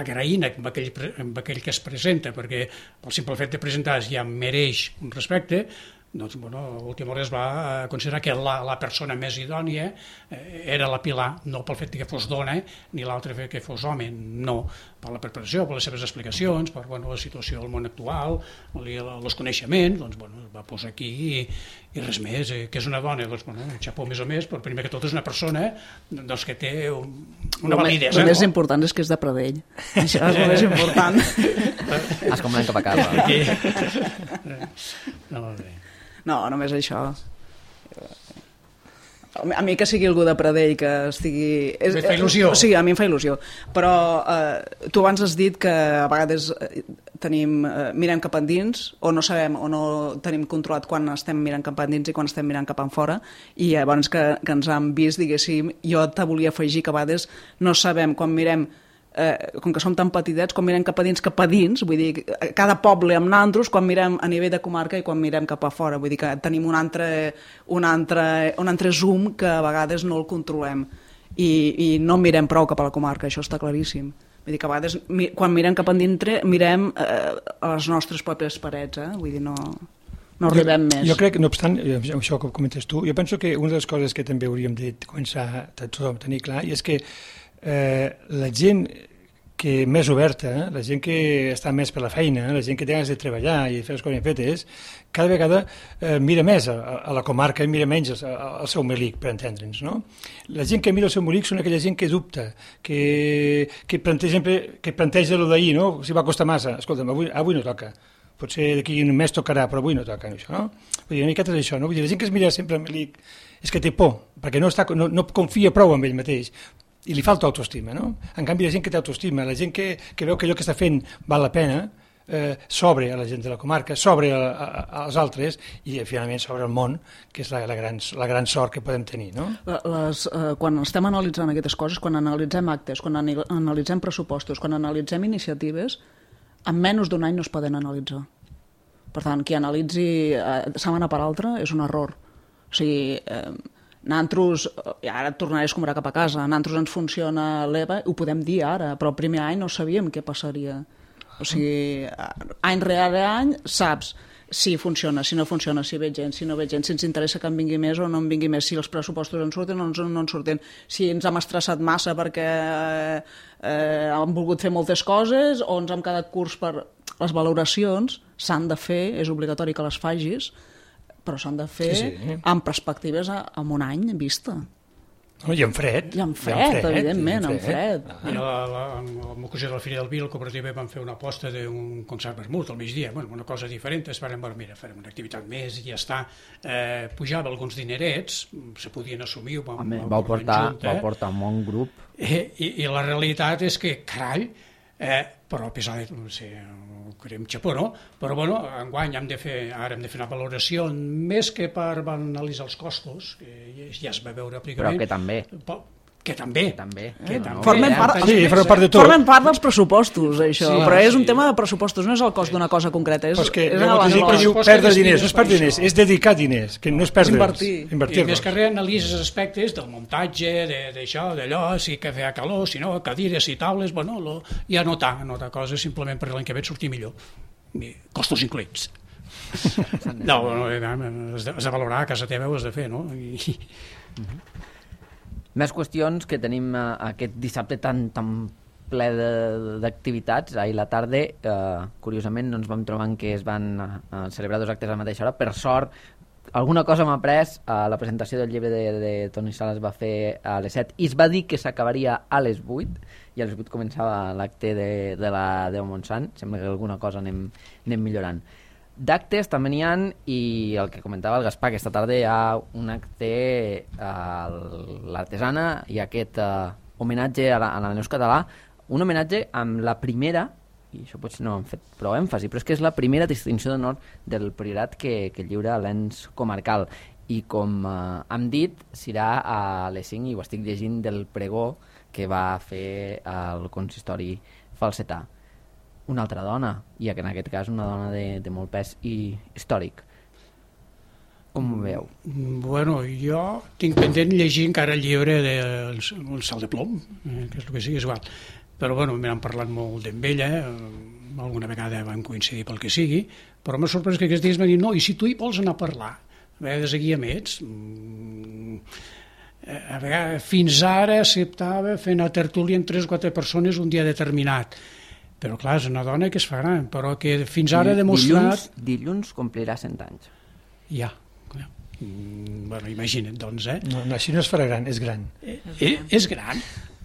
agraint amb aquell, amb aquell que es presenta, perquè pel simple fet de presentar ja mereix un respecte, doncs, bueno, a última hora es va considerar que la, la persona més idònia eh, era la Pilar, no pel fet que fos dona, ni l'altre fet que fos home, no, per la preparació, per les seves explicacions, per bueno, la situació del món actual, els coneixements, doncs, bueno, es va posar aquí i, i res més, eh, que és una dona, doncs, bueno, xapó més o més, però primer que tot és una persona doncs, que té un, una validesa. El més no? important és que és de Pradell, això és el més important. Es com cap a casa. Aquí. No, bé. No, només això. A mi que sigui algú de Pradell que estigui... Et fa il·lusió. Sí, a mi em fa il·lusió. Però eh, tu abans has dit que a vegades tenim, eh, mirem cap endins o no sabem o no tenim controlat quan estem mirant cap endins i quan estem mirant cap enfora, i abans que, que ens han vist, diguéssim, jo te volia afegir que a vegades no sabem quan mirem Eh, com que som tan petitets, quan mirem cap a dins, cap a dins, vull dir, cada poble amb nandros, quan mirem a nivell de comarca i quan mirem cap a fora, vull dir que tenim un altre, un altre, un altre zoom que a vegades no el controlem i, i no mirem prou cap a la comarca, això està claríssim. Vull dir que a vegades, quan mirem cap a dintre, mirem eh, a les nostres pròpies parets, eh? Vull dir, no... no arribem jo, més. Jo crec, no obstant, això que comentes tu, jo penso que una de les coses que també hauríem de començar a tothom tenir clar i és que eh, la gent que més oberta, la gent que està més per la feina, la gent que té ganes de treballar i fer les coses ben fetes, cada vegada eh, mira més a, a la comarca i mira menys al seu melic, per entendre'ns, no? La gent que mira el seu melic són aquella gent que dubta, que, que planteja, que planteja el d'ahir, no? Si va costar massa, escolta'm, avui, avui no toca. Potser d'aquí un mes tocarà, però avui no toca, això, no? Vull dir, una miqueta és això, no? Vull dir, la gent que es mira sempre el melic és que té por, perquè no, està, no, no confia prou en ell mateix, i li falta autoestima, no? En canvi, la gent que té autoestima, la gent que, que veu que allò que està fent val la pena, eh, s'obre a la gent de la comarca, s'obre a, a, als altres i finalment s'obre al món, que és la, la, gran, la gran sort que podem tenir, no? Les, eh, quan estem analitzant aquestes coses, quan analitzem actes, quan analitzem pressupostos, quan analitzem iniciatives, en menys d'un any no es poden analitzar. Per tant, qui analitzi eh, setmana per altra és un error. O sigui... Eh, Nantros, ara et tornaré a escombrar cap a casa, Nantros ens funciona l'E V A, ho podem dir ara, però el primer any no sabíem què passaria. O sigui, any rere any saps si funciona, si no funciona, si ve gent, si no ve gent, si ens interessa que en vingui més o no en vingui més, si els pressupostos en surten o no en surten, si ens hem estressat massa perquè eh, hem volgut fer moltes coses o ens hem quedat curts per... Les valoracions s'han de fer, és obligatori que les facis, però s'han de fer sí, sí. amb perspectives a, a un any vista. No, I en fred. I en fred, evidentment, en fred. I a l'ocasió de la Fira del Vi, la cooperativa vam fer una aposta d'un concert vermut al migdia, bueno, una cosa diferent, es van dir, mira, farem una activitat més i ja està. Eh, pujava alguns dinerets, se podien assumir. Vam, Home, vau portar, junta, vau portar un bon grup. Eh, i, I la realitat és que, carai, eh, però a pesar de, no sé, creiem xapó, no? Però, bueno, enguany hem de fer, ara hem de fer una valoració més que per analitzar els costos, que ja es va veure pràcticament. Però que també. Que també. Que també. Que també. Formen, part, sí, part de tot. Formen part dels pressupostos, això. Sí, però és sí. un tema de pressupostos, no és el cost d'una cosa concreta. És, però és que és la gent que diu perdre diners, no és perdre diners, és dedicar diners, que no és perdre. És invertir. Invertir I més que res analitzes aspectes del muntatge, d'això, d'allò, si que feia calor, si no, cadires i taules, bueno, lo, i anotar, anotar coses simplement per l'any que ve et sortir millor. I costos incloents. No, no, has de, has de valorar, a casa teva ho has de fer, no? I... Uh-huh. Més qüestions que tenim uh, aquest dissabte tan, tan ple d'activitats. Ahir a la tarda, eh, curiosament, no ens vam trobar que es van uh, celebrar dos actes a la mateixa hora. Per sort, alguna cosa m'ha après. Uh, la presentació del llibre de, de Toni Sala es va fer a les set i es va dir que s'acabaria a les vuit i a les vuit començava l'acte de, de la Déu Montsant. Sembla que alguna cosa anem, anem millorant. D'actes també n'hi ha, i el que comentava el Gaspar, aquesta tarda hi ha un acte a l'artesana i aquest uh, homenatge a la, a la Neus Català, un homenatge amb la primera, i això potser no hem fet prou èmfasi, però és que és la primera distinció d'honor del priorat que, que lliura l'ens comarcal, i com uh, hem dit, serà a les cinc, i ho estic llegint del pregó que va fer el consistori falsetà. Una altra dona, i en aquest cas una dona de, de molt pes i històric. Com ho veieu? Bueno, jo tinc pendent llegir encara el llibre del de, Sal de Plom, eh, que és el que sigui, és igual. Però bueno, m'han parlat molt d'en ella, eh, alguna vegada vam coincidir pel que sigui, però m'ha sorprès que aquests dies m'ha dit, no, i si tu hi vols anar a parlar? A vegades aquí a Mets, a vegades, fins ara acceptava fer una tertúlia amb tres o quatre persones un dia determinat, però clar, és una dona que es fa gran, però que fins ara ha demostrat... Dilluns, dilluns complirà cent anys. Ja, clar. Mm, bueno, imagina't, doncs, eh? No, no, així no es farà gran, és gran. Eh, eh, és gran,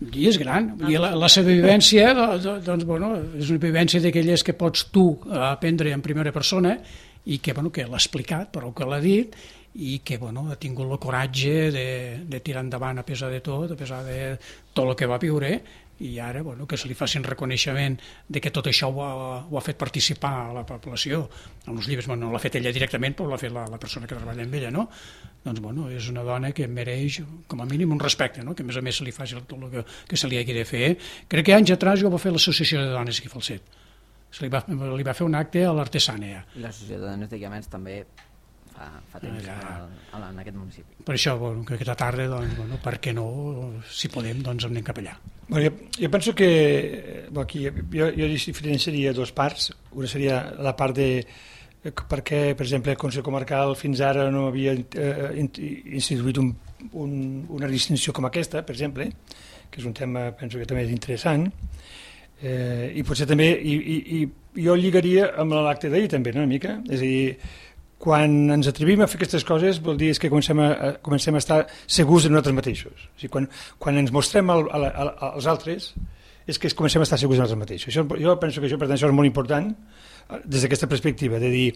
i és gran. I la, la seva vivència, doncs, bueno, és una vivència d'aquelles que pots tu aprendre en primera persona i que, bueno, que l'ha explicat, però que l'ha dit, i que, bueno, ha tingut el coratge de, de tirar endavant a pesar de tot, a pesar de tot el que va viure, i ara, bueno, que se li faci un reconeixement de que tot això ho ha, ho ha fet participar a la població. En els llibres, bueno, no l'ha fet ella directament, però l'ha fet la, la persona que treballa amb ella, no? Doncs, bueno, és una dona que mereix, com a mínim, un respecte, no? Que a més a més se li faci tot el que, que se li hagi de fer. Crec que anys atrás jo va fer l'Associació de Dones aquí a Falset. Se li va, li va fer un acte a l'Artesània. I l'Associació de Dones de Guiamets també fa, fa temps Allà, al, en aquest municipi. Per això, bueno, que aquesta tarda, doncs, bueno, per què no, si podem, doncs anem cap allà. Bueno, jo, jo penso que bueno, aquí, jo, jo diferenciaria dos parts. Una seria la part de per què, per exemple, el Consell Comarcal fins ara no havia eh, instituït un, un, una distinció com aquesta, per exemple, que és un tema, penso que també és interessant, eh, i potser també, i, i, i jo lligaria amb l'acte d'ahir també, no, una mica, és a dir, quan ens atrevim a fer aquestes coses vol dir que comencem a, a, comencem a estar segurs de nosaltres mateixos. O sigui, quan, quan ens mostrem al, a, a, als altres és que comencem a estar segurs de nosaltres mateixos. Això, jo penso que això, per tant, això és molt important des d'aquesta perspectiva, de dir,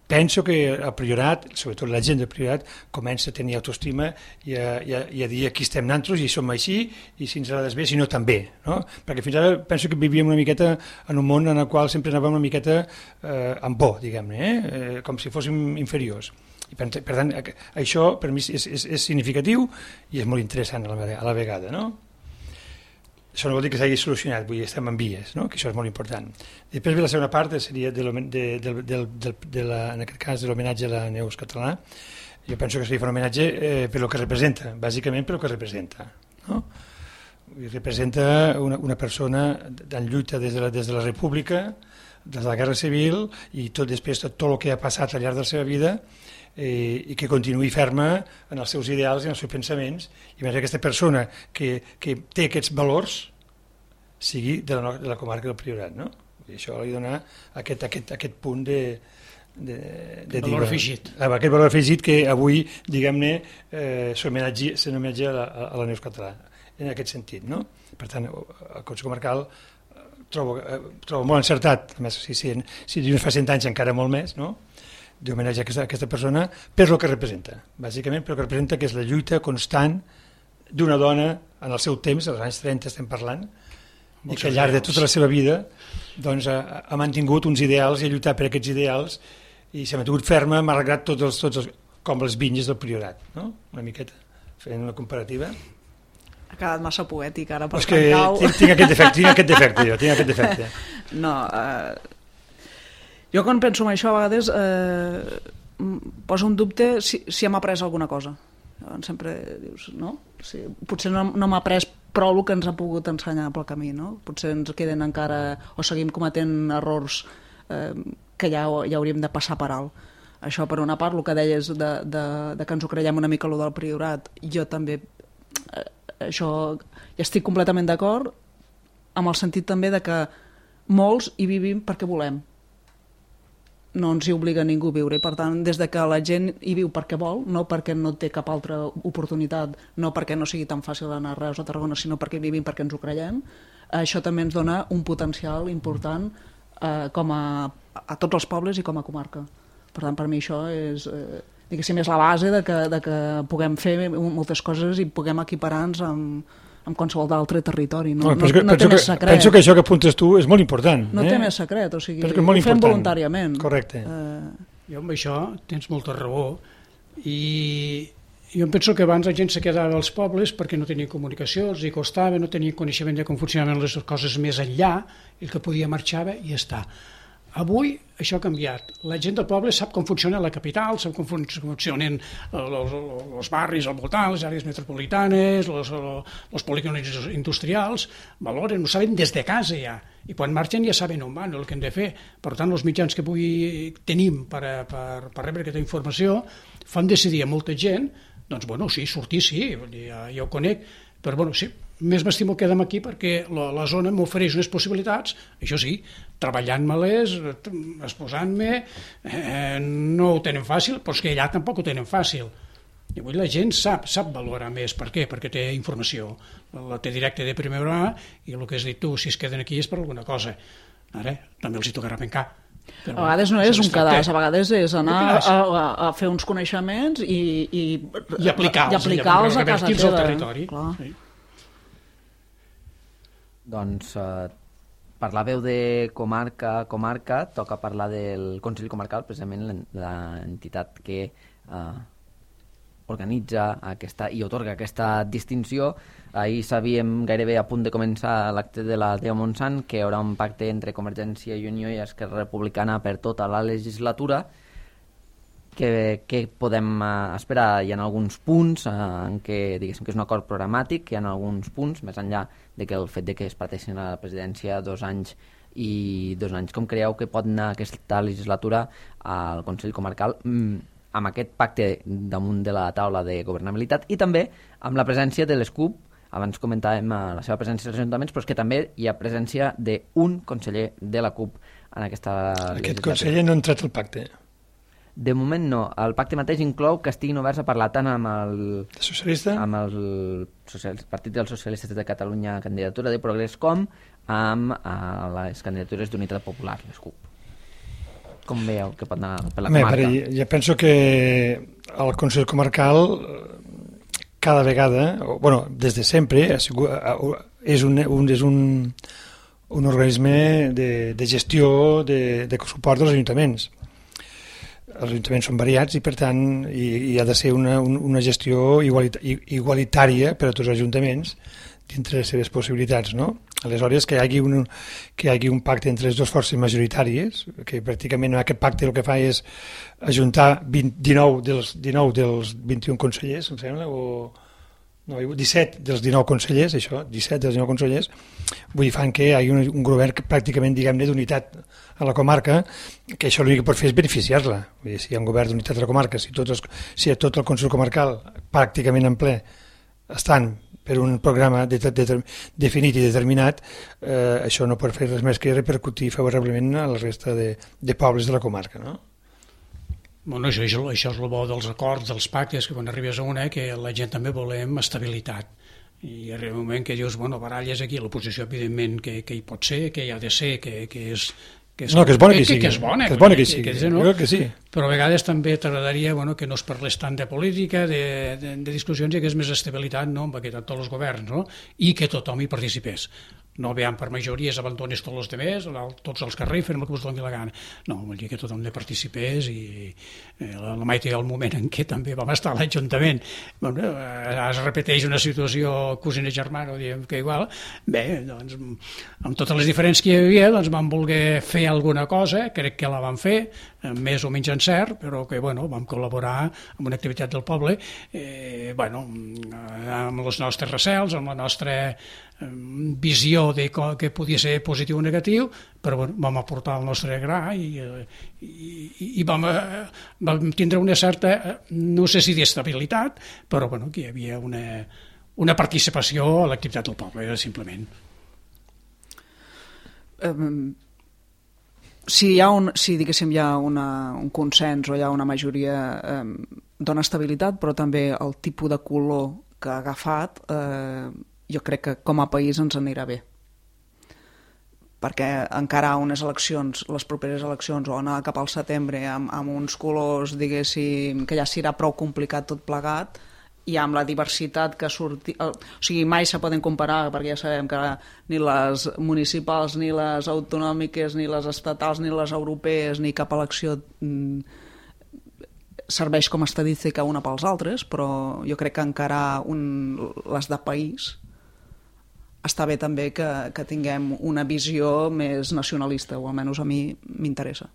penso que el Priorat, sobretot la gent del Priorat, comença a tenir autoestima i a, i a, i a dir aquí estem nosaltres i som així i si ens agrades bé, si no també, no? Perquè fins ara penso que vivíem una miqueta en un món en el qual sempre anàvem una miqueta eh, amb por, diguem-ne, eh? eh, com si fóssim inferiors. I per, per tant, això per mi és, és, és significatiu i és molt interessant a la, a la vegada, no? Això no vol dir que s'hagi solucionat, vull dir, estem en vies, no? Que això és molt important. Després ve la segona part, seria de, de, de, de, de, de la, en aquest cas de l'homenatge a la Neus Català. Jo penso que seria un homenatge eh, per el que representa, bàsicament per el que representa, no? I representa una, una persona en lluita des de, la, des de la República, des de la Guerra Civil i tot després tot, tot el que ha passat al llarg de la seva vida eh, i que continuï ferma en els seus ideals i en els seus pensaments, i més aquesta persona que, que té aquests valors sigui de la, de la comarca del Priorat, no? I això li dona aquest, aquest, aquest punt de, de, de valor afegit. Aquest valor afegit que avui, diguem-ne, eh, s'homenatja a, la, a la Neus Català, en aquest sentit, no? Per tant, el Consell Comarcal trobo, eh, trobo molt encertat, a més, si, si, si no fa cent anys encara molt més, no? D'homenatjar aquesta, aquesta persona per el que representa, bàsicament per el que representa, que és la lluita constant d'una dona en el seu temps, als anys trenta estem parlant, i que al llarg de tota la seva vida doncs, ha, ha mantingut uns ideals i ha lluitat per aquests ideals i s'ha mantingut ferma, malgrat tots els, tots els, com les vinyes del Priorat, no? Una miqueta, fent una comparativa. Ha quedat massa poètic ara per és que tinc, tinc aquest defecte, tinc aquest defecte jo, tinc aquest defecte. No, eh, jo quan penso en això a vegades eh, poso un dubte si, si hem après alguna cosa. Sempre dius, no? Sí, potser no, no m'ha après prou el que ens ha pogut ensenyar pel camí, no? Potser ens queden encara, o seguim cometent errors eh, que ja, ja hauríem de passar per alt. Això per una part, el que deies de, de, de que ens ho creiem una mica, el del Priorat, jo també eh, això hi estic completament d'acord, amb el sentit també de que molts hi vivim perquè volem. No ens hi obliga ningú a viure, i per tant, des de que la gent hi viu perquè vol, no perquè no té cap altra oportunitat, no perquè no sigui tan fàcil anar a Reus o a Tarragona, sinó perquè vivim perquè ens ho creiem, això també ens dona un potencial important eh, com a, a tots els pobles i com a comarca. Per tant, per mi això és, eh, diguéssim, és la base de que, de que puguem fer moltes coses i puguem equiparar-nos amb, amb qualsevol d'altre territori. No, no, que, no té que, més secret. Penso que això que apuntes tu és molt important. No eh? té més secret, o sigui, ho fem important. voluntàriament. Correcte. Eh... Jo amb això tens molta raó, i jo em penso que abans la gent se quedava als pobles perquè no tenia comunicació, els hi costava, no tenia coneixement de com funcionaven les coses més enllà, el que podia marxava i ja està. Avui això ha canviat. La gent del poble sap com funciona la capital, sap com funcionen els barris al voltant, les àrees metropolitanes, els polígons industrials, valoren, ho saben des de casa ja, i quan marxen ja saben on van, el que han de fer. Per tant, els mitjans que avui tenim per, per, per rebre aquesta informació fan decidir a molta gent, doncs, bueno, sí, sortir sí, ja, ja ho conec, però, bueno, sí, més m'estimo quedar aquí perquè la, la zona m'ofereix unes possibilitats, això sí, treballant-me-les, exposant-me, eh, no ho tenen fàcil, però és que allà tampoc ho tenen fàcil. I avui la gent sap, sap valorar més. Per què? Perquè té informació, la té directa de primera hora i el que has dit tu, si es queden aquí és per alguna cosa. Ara, també els hi tocarà pencar. Però, a vegades no és un cadàs, a vegades és anar a, a, a fer uns coneixements i, i, i aplicar-los, i aplicar-los a casa teva. Al territori. Sí. Doncs eh, parlàveu de comarca, comarca, toca parlar del Consell Comarcal, precisament l'entitat que eh, organitza aquesta i otorga aquesta distinció. Ahir sabíem gairebé a punt de començar l'acte de la Deo Montsant que hi haurà un pacte entre Convergència i Unió i Esquerra Republicana per tota la legislatura. Que, que podem uh, esperar? Hi ha alguns punts uh, en què diguéssim que és un acord programàtic, hi ha alguns punts, més enllà de que el fet de que es parteixin a la presidència dos anys i dos anys. Com creieu que pot anar aquesta legislatura al Consell Comarcal mm, amb aquest pacte damunt de la taula de governabilitat i també amb la presència de les C U P? Abans comentàvem uh, la seva presència als ajuntaments, però és que també hi ha presència d'un conseller de la C U P en aquesta legislatura. Aquest conseller no ha entrat al pacte. De moment no. El pacte mateix inclou que estiguin oberts a parlar tant amb el, Socialista? amb el social, Partit dels Socialistes de Catalunya, candidatura de Progrés, com amb uh, les candidatures d'Unitat Popular, les C U P. Com veieu que pot anar per la comarca? Bé, jo penso que el Consell Comarcal cada vegada, bueno, des de sempre, és un, un, és un, un organisme de, de gestió, de, de suport dels ajuntaments. Els ajuntaments són variats i per tant hi, hi ha de ser una, una gestió igualita, igualitària per a tots els ajuntaments dintre les seves possibilitats, no? Aleshores que hi hagi un, que hi hagi un pacte entre les dues forces majoritàries, que pràcticament aquest pacte el que fa és ajuntar vint, dinou, dels, dinou dels vint-i-un consellers, em sembla, o no, disset dels dinou consellers, això, disset dels dinou consellers, vull dir, fan que hi hagi un, un govern que pràcticament, diguem-ne, d'unitat a la comarca, que això l'únic que pot fer és beneficiar-la. Vull dir, si hi ha un govern d'unitat a la comarca, si tot, els, si tot el Consell Comarcal pràcticament en ple estan per un programa de, de, de, definit i determinat, eh, això no pot fer res més que repercutir favorablement a la resta de, de pobles de la comarca, no? Bueno, això, això, això és el bo dels acords, dels pactes, que quan arribes a una, que la gent també volem estabilitat. I arriba un moment que dius, bueno, baralles aquí, l'oposició evidentment que, que hi pot ser, que hi ha de ser, que, que és... Que és, no, que és bona que, que sigui. Que és bona, que, és bona que, que, sigui. Que, que, no? Jo crec que sí. Però a vegades també t'agradaria, bueno, que no es parlés tant de política, de, de, de discussions, i que és més estabilitat, no?, amb aquest, tots els governs, no?, i que tothom hi participés. No veiem per majories, abandones tots els demés, tots els carrers, fem el que us doni la gana. No, vol dir que tothom hi participés i eh, la, la Maite el moment en què també vam estar a l'Ajuntament, bueno, eh, es repeteix una situació cosina germana, diguem que igual, bé, doncs, amb totes les diferències que hi havia, doncs vam voler fer alguna cosa, crec que la vam fer, més o menys encert, però que, bueno, vam col·laborar amb una activitat del poble, eh, bueno, amb els nostres recels, amb la nostra visió de que podia ser positiu o negatiu, però bueno, vam aportar el nostre gra i, i, i vam, vam tindre una certa, no sé si d'estabilitat, però bueno, que hi havia una, una participació a l'activitat del poble, simplement. Um, si hi ha un, si diguéssim hi ha una, un consens o hi ha una majoria, um, dona estabilitat, però també el tipus de color que ha agafat, eh, jo crec que com a país ens anirà bé, perquè encara unes eleccions, les properes eleccions, o anar cap al setembre amb, amb uns colors, diguéssim, que ja serà prou complicat tot plegat, i amb la diversitat que surti, o sigui, mai se poden comparar, perquè ja sabem que ni les municipals, ni les autonòmiques, ni les estatals, ni les europees, ni cap elecció mm, serveix com a estadística una pels altres, però jo crec que encara un, les de país està bé també que, que tinguem una visió més nacionalista, o almenys a mi m'interessa.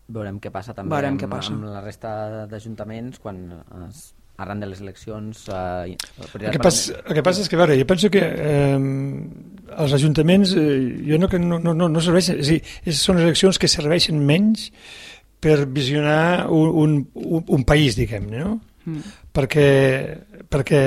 Veurem què passa també Veurem amb, què passa. amb la resta d'ajuntaments quan es, arran de les eleccions... Eh, el, que passa, el que passa és que, a veure, jo penso que eh, els ajuntaments eh, jo no, que no, no, no serveixen, és a dir, és, són eleccions que serveixen menys per visionar un, un, un país, diguem-ne, no? Mm. Perquè, perquè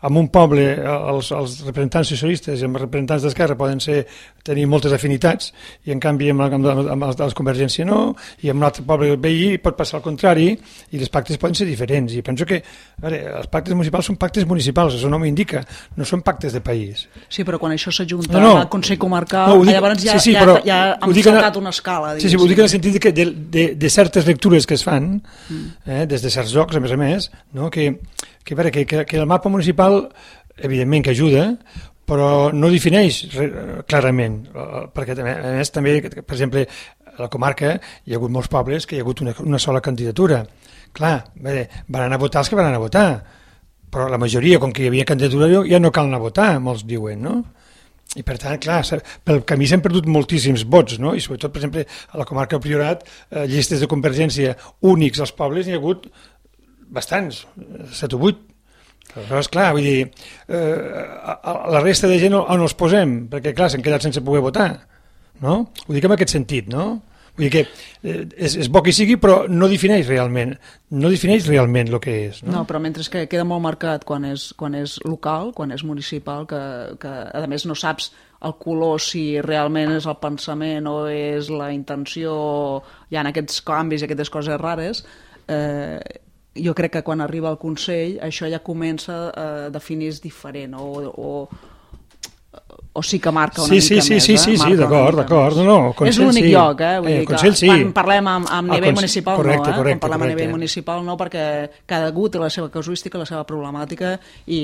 en un poble els, els representants socialistes i els representants d'Esquerra poden ser, tenir moltes afinitats i en canvi amb, amb, amb els de la Convergència no, i en un altre poble veí pot passar al contrari i els pactes poden ser diferents i penso que a veure, els pactes municipals són pactes municipals, això no m'indica, no són pactes de país. Sí, però quan això s'ajunta no, no, al Consell Comarcal, no, dic, llavors ja, sí, sí, ja, però, ja hem saltat una escala. Sí, sí, ho dic en el sentit de, que de, de, de certes lectures que es fan mm. eh, des de certs llocs, a més a més, no, que Que, veure, que, que, que el mapa municipal evidentment que ajuda, però no defineix clarament, perquè a més també, per exemple, a la comarca hi ha hagut molts pobles que hi ha hagut una, una sola candidatura. Clar, veure, van anar a votar els que van anar a votar, però la majoria, com que hi havia candidatura, ja no cal anar a votar, molts diuen, no? I per tant, clar, pel camí s'han perdut moltíssims vots, no? I sobretot, per exemple, a la comarca del Priorat, eh, llistes de Convergència únics als pobles n'hi ha hagut bastants, set o vuit. Però, esclar, vull dir, eh, a la resta de gent on els posem? Perquè, clar, s'han quedat sense poder votar, no? Ho dic en aquest sentit, no? Vull dir que eh, és, és bo que sigui, però no defineix realment, no defineix realment el que és, no? No, però mentre que queda molt marcat quan és, quan és local, quan és municipal, que, que a més no saps el color si realment és el pensament o és la intenció, hi ha aquests canvis i aquestes coses rares, eh, jo crec que quan arriba al Consell això ja comença a definir diferent o, o, o sí que marca una sí, mica sí, sí, més. Sí, sí, sí, d'acord, d'acord. No, no, és l'únic sí. lloc, eh? Vull eh, dir que Consell, sí. Quan parlem amb, amb nivell Consell, municipal correcte, no, eh? correcte, quan parlem correcte. a nivell municipal no, perquè cada algú té la seva casuística, la seva problemàtica i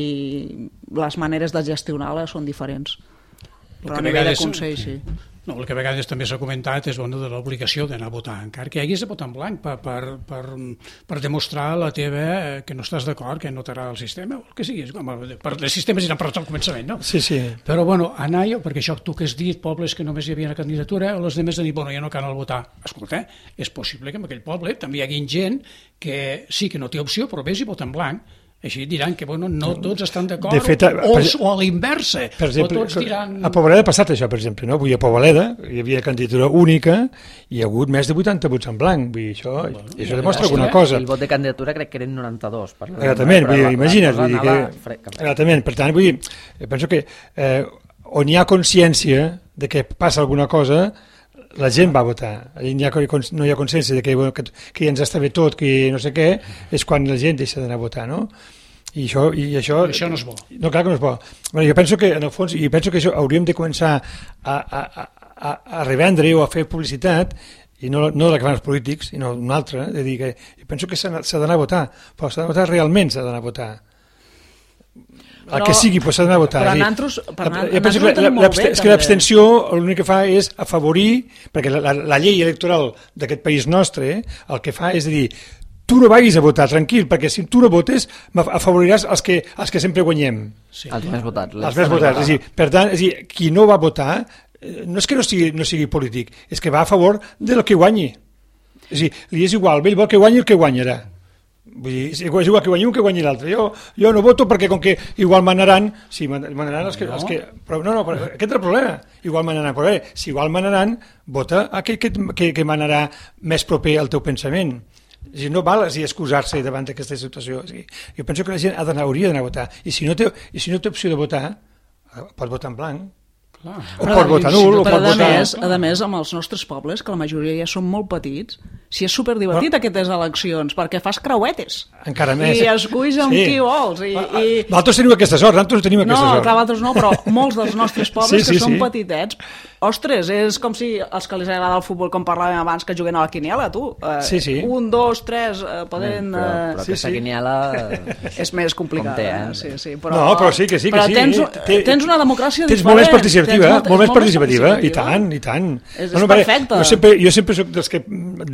les maneres de gestionar-la són diferents. Però a nivell de Consell, sí. No, el que a vegades també s'ha comentat és bueno, de l'obligació d'anar a votar, encara que haguis de votar en blanc per, per, per, per demostrar la teva que no estàs d'acord, que no t'agrada el sistema, o el que sigui. Com, per, els sistemes eren per tot el començament, no? Sí, sí. Però, bueno, anar jo, perquè això tu que has dit, pobles que només hi havia una candidatura, o els altres han dit, bueno, ja no cal votar. Escolta, és possible que en aquell poble també hi hagi gent que sí que no té opció, però vés i vota en blanc. Així diran que bueno, no tots estan d'acord o, per, o a l'inversa, o tots diran... A Poboleda ha passat això, per exemple, no? Vull dir, a Poboleda hi havia candidatura única i hi ha hagut més de vuitanta vots en blanc, vull dir, això, bueno, això demostra alguna eh? cosa. El vot de candidatura crec que eren noranta-dos. Per exactament, vull dir, imagina't, vull dir que... Exactament, per tant, vull dir, penso que eh, on hi ha consciència de que passa alguna cosa, la gent va votar. Allà no hi ha consciència de que, bueno, que, que ja ens està bé tot, que no sé què, és quan la gent deixa d'anar a votar, no? I això, i això, I això no és bo. No, clar que no és bo. Bueno, jo penso que, en el fons, i penso que això hauríem de començar a, a, a, a revendre o a fer publicitat, i no, no de la que fan els polítics, sinó una altra, de dir que jo penso que s'ha d'anar a votar, però s'ha d'anar a votar realment, s'ha d'anar a votar. El que sigui, però s'ha d'anar a votar. Però nosaltres, per jo penso que, la, la, és que l'abstenció l'únic que fa és afavorir, perquè la, la, la llei electoral d'aquest país nostre el que fa és dir, tu no vagis a votar, tranquil, perquè si tu no votes afavoriràs els que, els que sempre guanyem. Sí. Els més votats. Els més votats. És dir, per tant, és dir, qui no va votar no és que no sigui, no sigui polític, és que va a favor del que guanyi. És dir, li és igual, ell vol que guanyi el que guanyarà. Vull dir, és igual que guanyi un que guanyi l'altre. Jo, jo no voto perquè com que igual manaran, sí, manaran els que... Els que però, no, no, però aquest és el problema. Igual manaran, però bé, si igual manaran, vota aquell que, que, que manarà més proper al teu pensament. És dir, no val és dir, excusar-se davant d'aquesta situació. És dir, jo penso que la gent ha d'anar, hauria d'anar a votar. I si no té, i si no té opció de votar, pot votar en blanc. Clar. O però, pot votar nul, o pot a votar... Més, a més, amb els nostres pobles, que la majoria ja són molt petits, si és superdivertit no. aquestes eleccions, perquè fas creuetes. Encara més. I esculls amb sí. qui vols. I, i... Nosaltres tenim aquesta sort, nosaltres tenim aquesta no, sort. No, clar, nosaltres no, però molts dels nostres pobles sí, sí, que són sí. petitets, ostres, és com si els que les agrada el futbol, com parlàvem abans, que juguen a la quiniela, tu. Eh, sí, sí. Un, dos, tres, eh, poden... Però, però sí, aquesta sí. quiniela... és més complicat. Té, eh? sí, sí, però... No, però sí que sí, que però sí. Tens, té, tens una democràcia tens diferent. Molt més participativa, molt, molt més participativa, participativa, i tant, i tant. És, és no, perfecte. Jo sempre, jo sempre soc dels que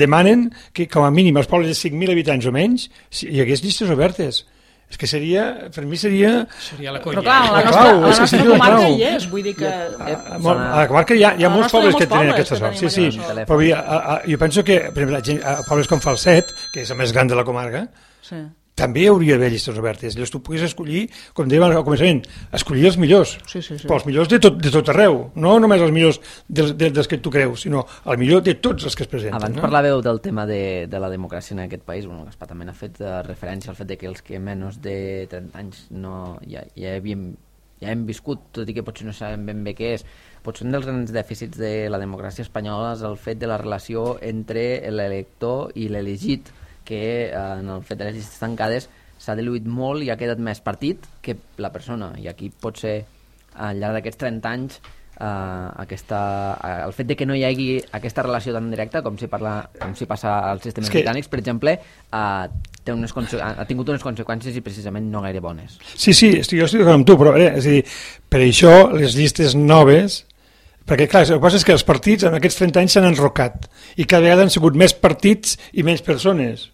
demanen que, com a mínim, als pobles de cinc mil habitants o menys, hi hagués llistes obertes. És que seria, per mi seria... Seria la conya. Però clar, a la La nostra, clau, a la és que nostra seria la comarca clau. hi és, vull dir que... Eh, A, molt, a la comarca hi ha, hi ha A la molts nostra pobles hi ha que molts tenen pobles aquesta que sort, sí, tenim sí. aquesta sort. Però a, a, a, jo penso que, per exemple, a, gent, a pobles com Falset, que és el més gran de la comarca, Sí. també hi hauria d'haver llistes obertes. Llavors tu puguis escollir, com dèiem al començament, escollir els millors. Sí, sí, sí. Però els millors de tot, de tot arreu. No només els millors dels, dels que tu creus, sinó el millor de tots els que es presenten. Abans no? parlàveu del tema de, de la democràcia en aquest país. Bueno, Gaspar també ha fet uh, referència al fet de que els que menys de trenta anys no, ja, ja, havíem, ja hem viscut, tot i que potser no sabem ben bé què és. Potser un dels grans dèficits de la democràcia espanyola és el fet de la relació entre l'elector i l'elegit, que eh, en el fet de les llistes tancades s'ha diluït molt i ha quedat més partit que la persona, i aquí pot ser al llarg d'aquests trenta anys eh, aquesta, eh, el fet de que no hi hagi aquesta relació tan directa com si, parla, com si passa als sistemes que... britànics, per exemple, eh, té unes conse- ha tingut unes conseqüències i precisament no gaire bones. Sí, sí, estic, jo estic d'acord amb tu, però eh, és a dir, per això les llistes noves, perquè clar, el que passa és que els partits en aquests trenta anys s'han enrocat i cada vegada han sigut més partits i menys persones.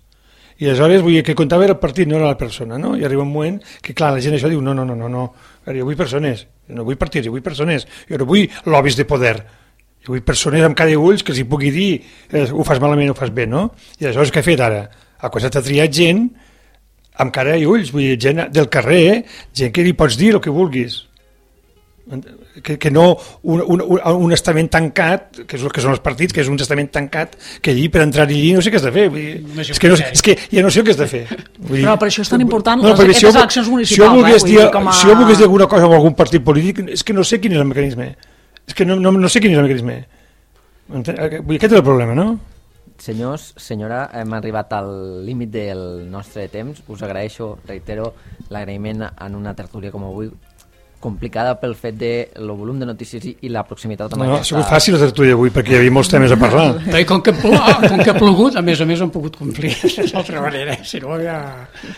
I aleshores vull dir que comptava el partit, no era la persona, no? I arriba un moment que, clar, la gent això diu, no, no, no, no, no, jo vull persones, no vull partits, jo vull persones, jo no vull lobbies de poder, jo vull persones amb cara i ulls que els hi pugui dir eh, ho fas malament o ho fas bé, no? I aleshores què he fet ara? Ha començat a triar gent amb cara i ulls, vull dir, gent del carrer, gent que li pots dir el que vulguis. Que, que no un, un, un estament tancat, que és el que són els partits, que és un estament tancat, que allí per entrar allí no sé què has de fer. Vull dir, és, que no, és que ja no sé el que has de fer. Vull dir, Però per això és tan important no, les, aquestes si jo, si eleccions jo municipals. volgués eh? dir, Dir, com a... Si jo volgués dir alguna cosa amb algun partit polític, és que no sé quin és el mecanisme. És que no, no, no sé quin és el mecanisme. Vull dir, aquest és el problema, no? Senyors, senyora, hem arribat al límit del nostre temps. Us agraeixo, reitero, l'agraïment en una tertúlia com avui, complicada pel fet de el volum de notícies i, i la proximitat amb No, ha aquesta... sigut fàcil la tertúlia avui perquè hi havia molts temes a parlar. I com que, plo, com que ha plogut, a més a més han pogut complir d'altra manera, si no ja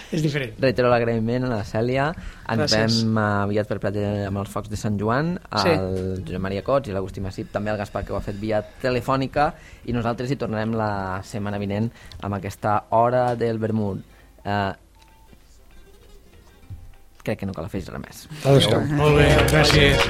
és diferent. Reitero l'agraïment a la Cèlia. Ens Gràcies. veiem aviat per plat amb els focs de Sant Joan, Sí. el Josep Maria Cots i l'Agustí Massip, també el Gaspar, que ho ha fet via telefònica, i nosaltres hi tornarem la setmana vinent amb aquesta hora del vermut. Eh, crec que no cal afegir res més. Adéu-siau. Molt bé, gràcies.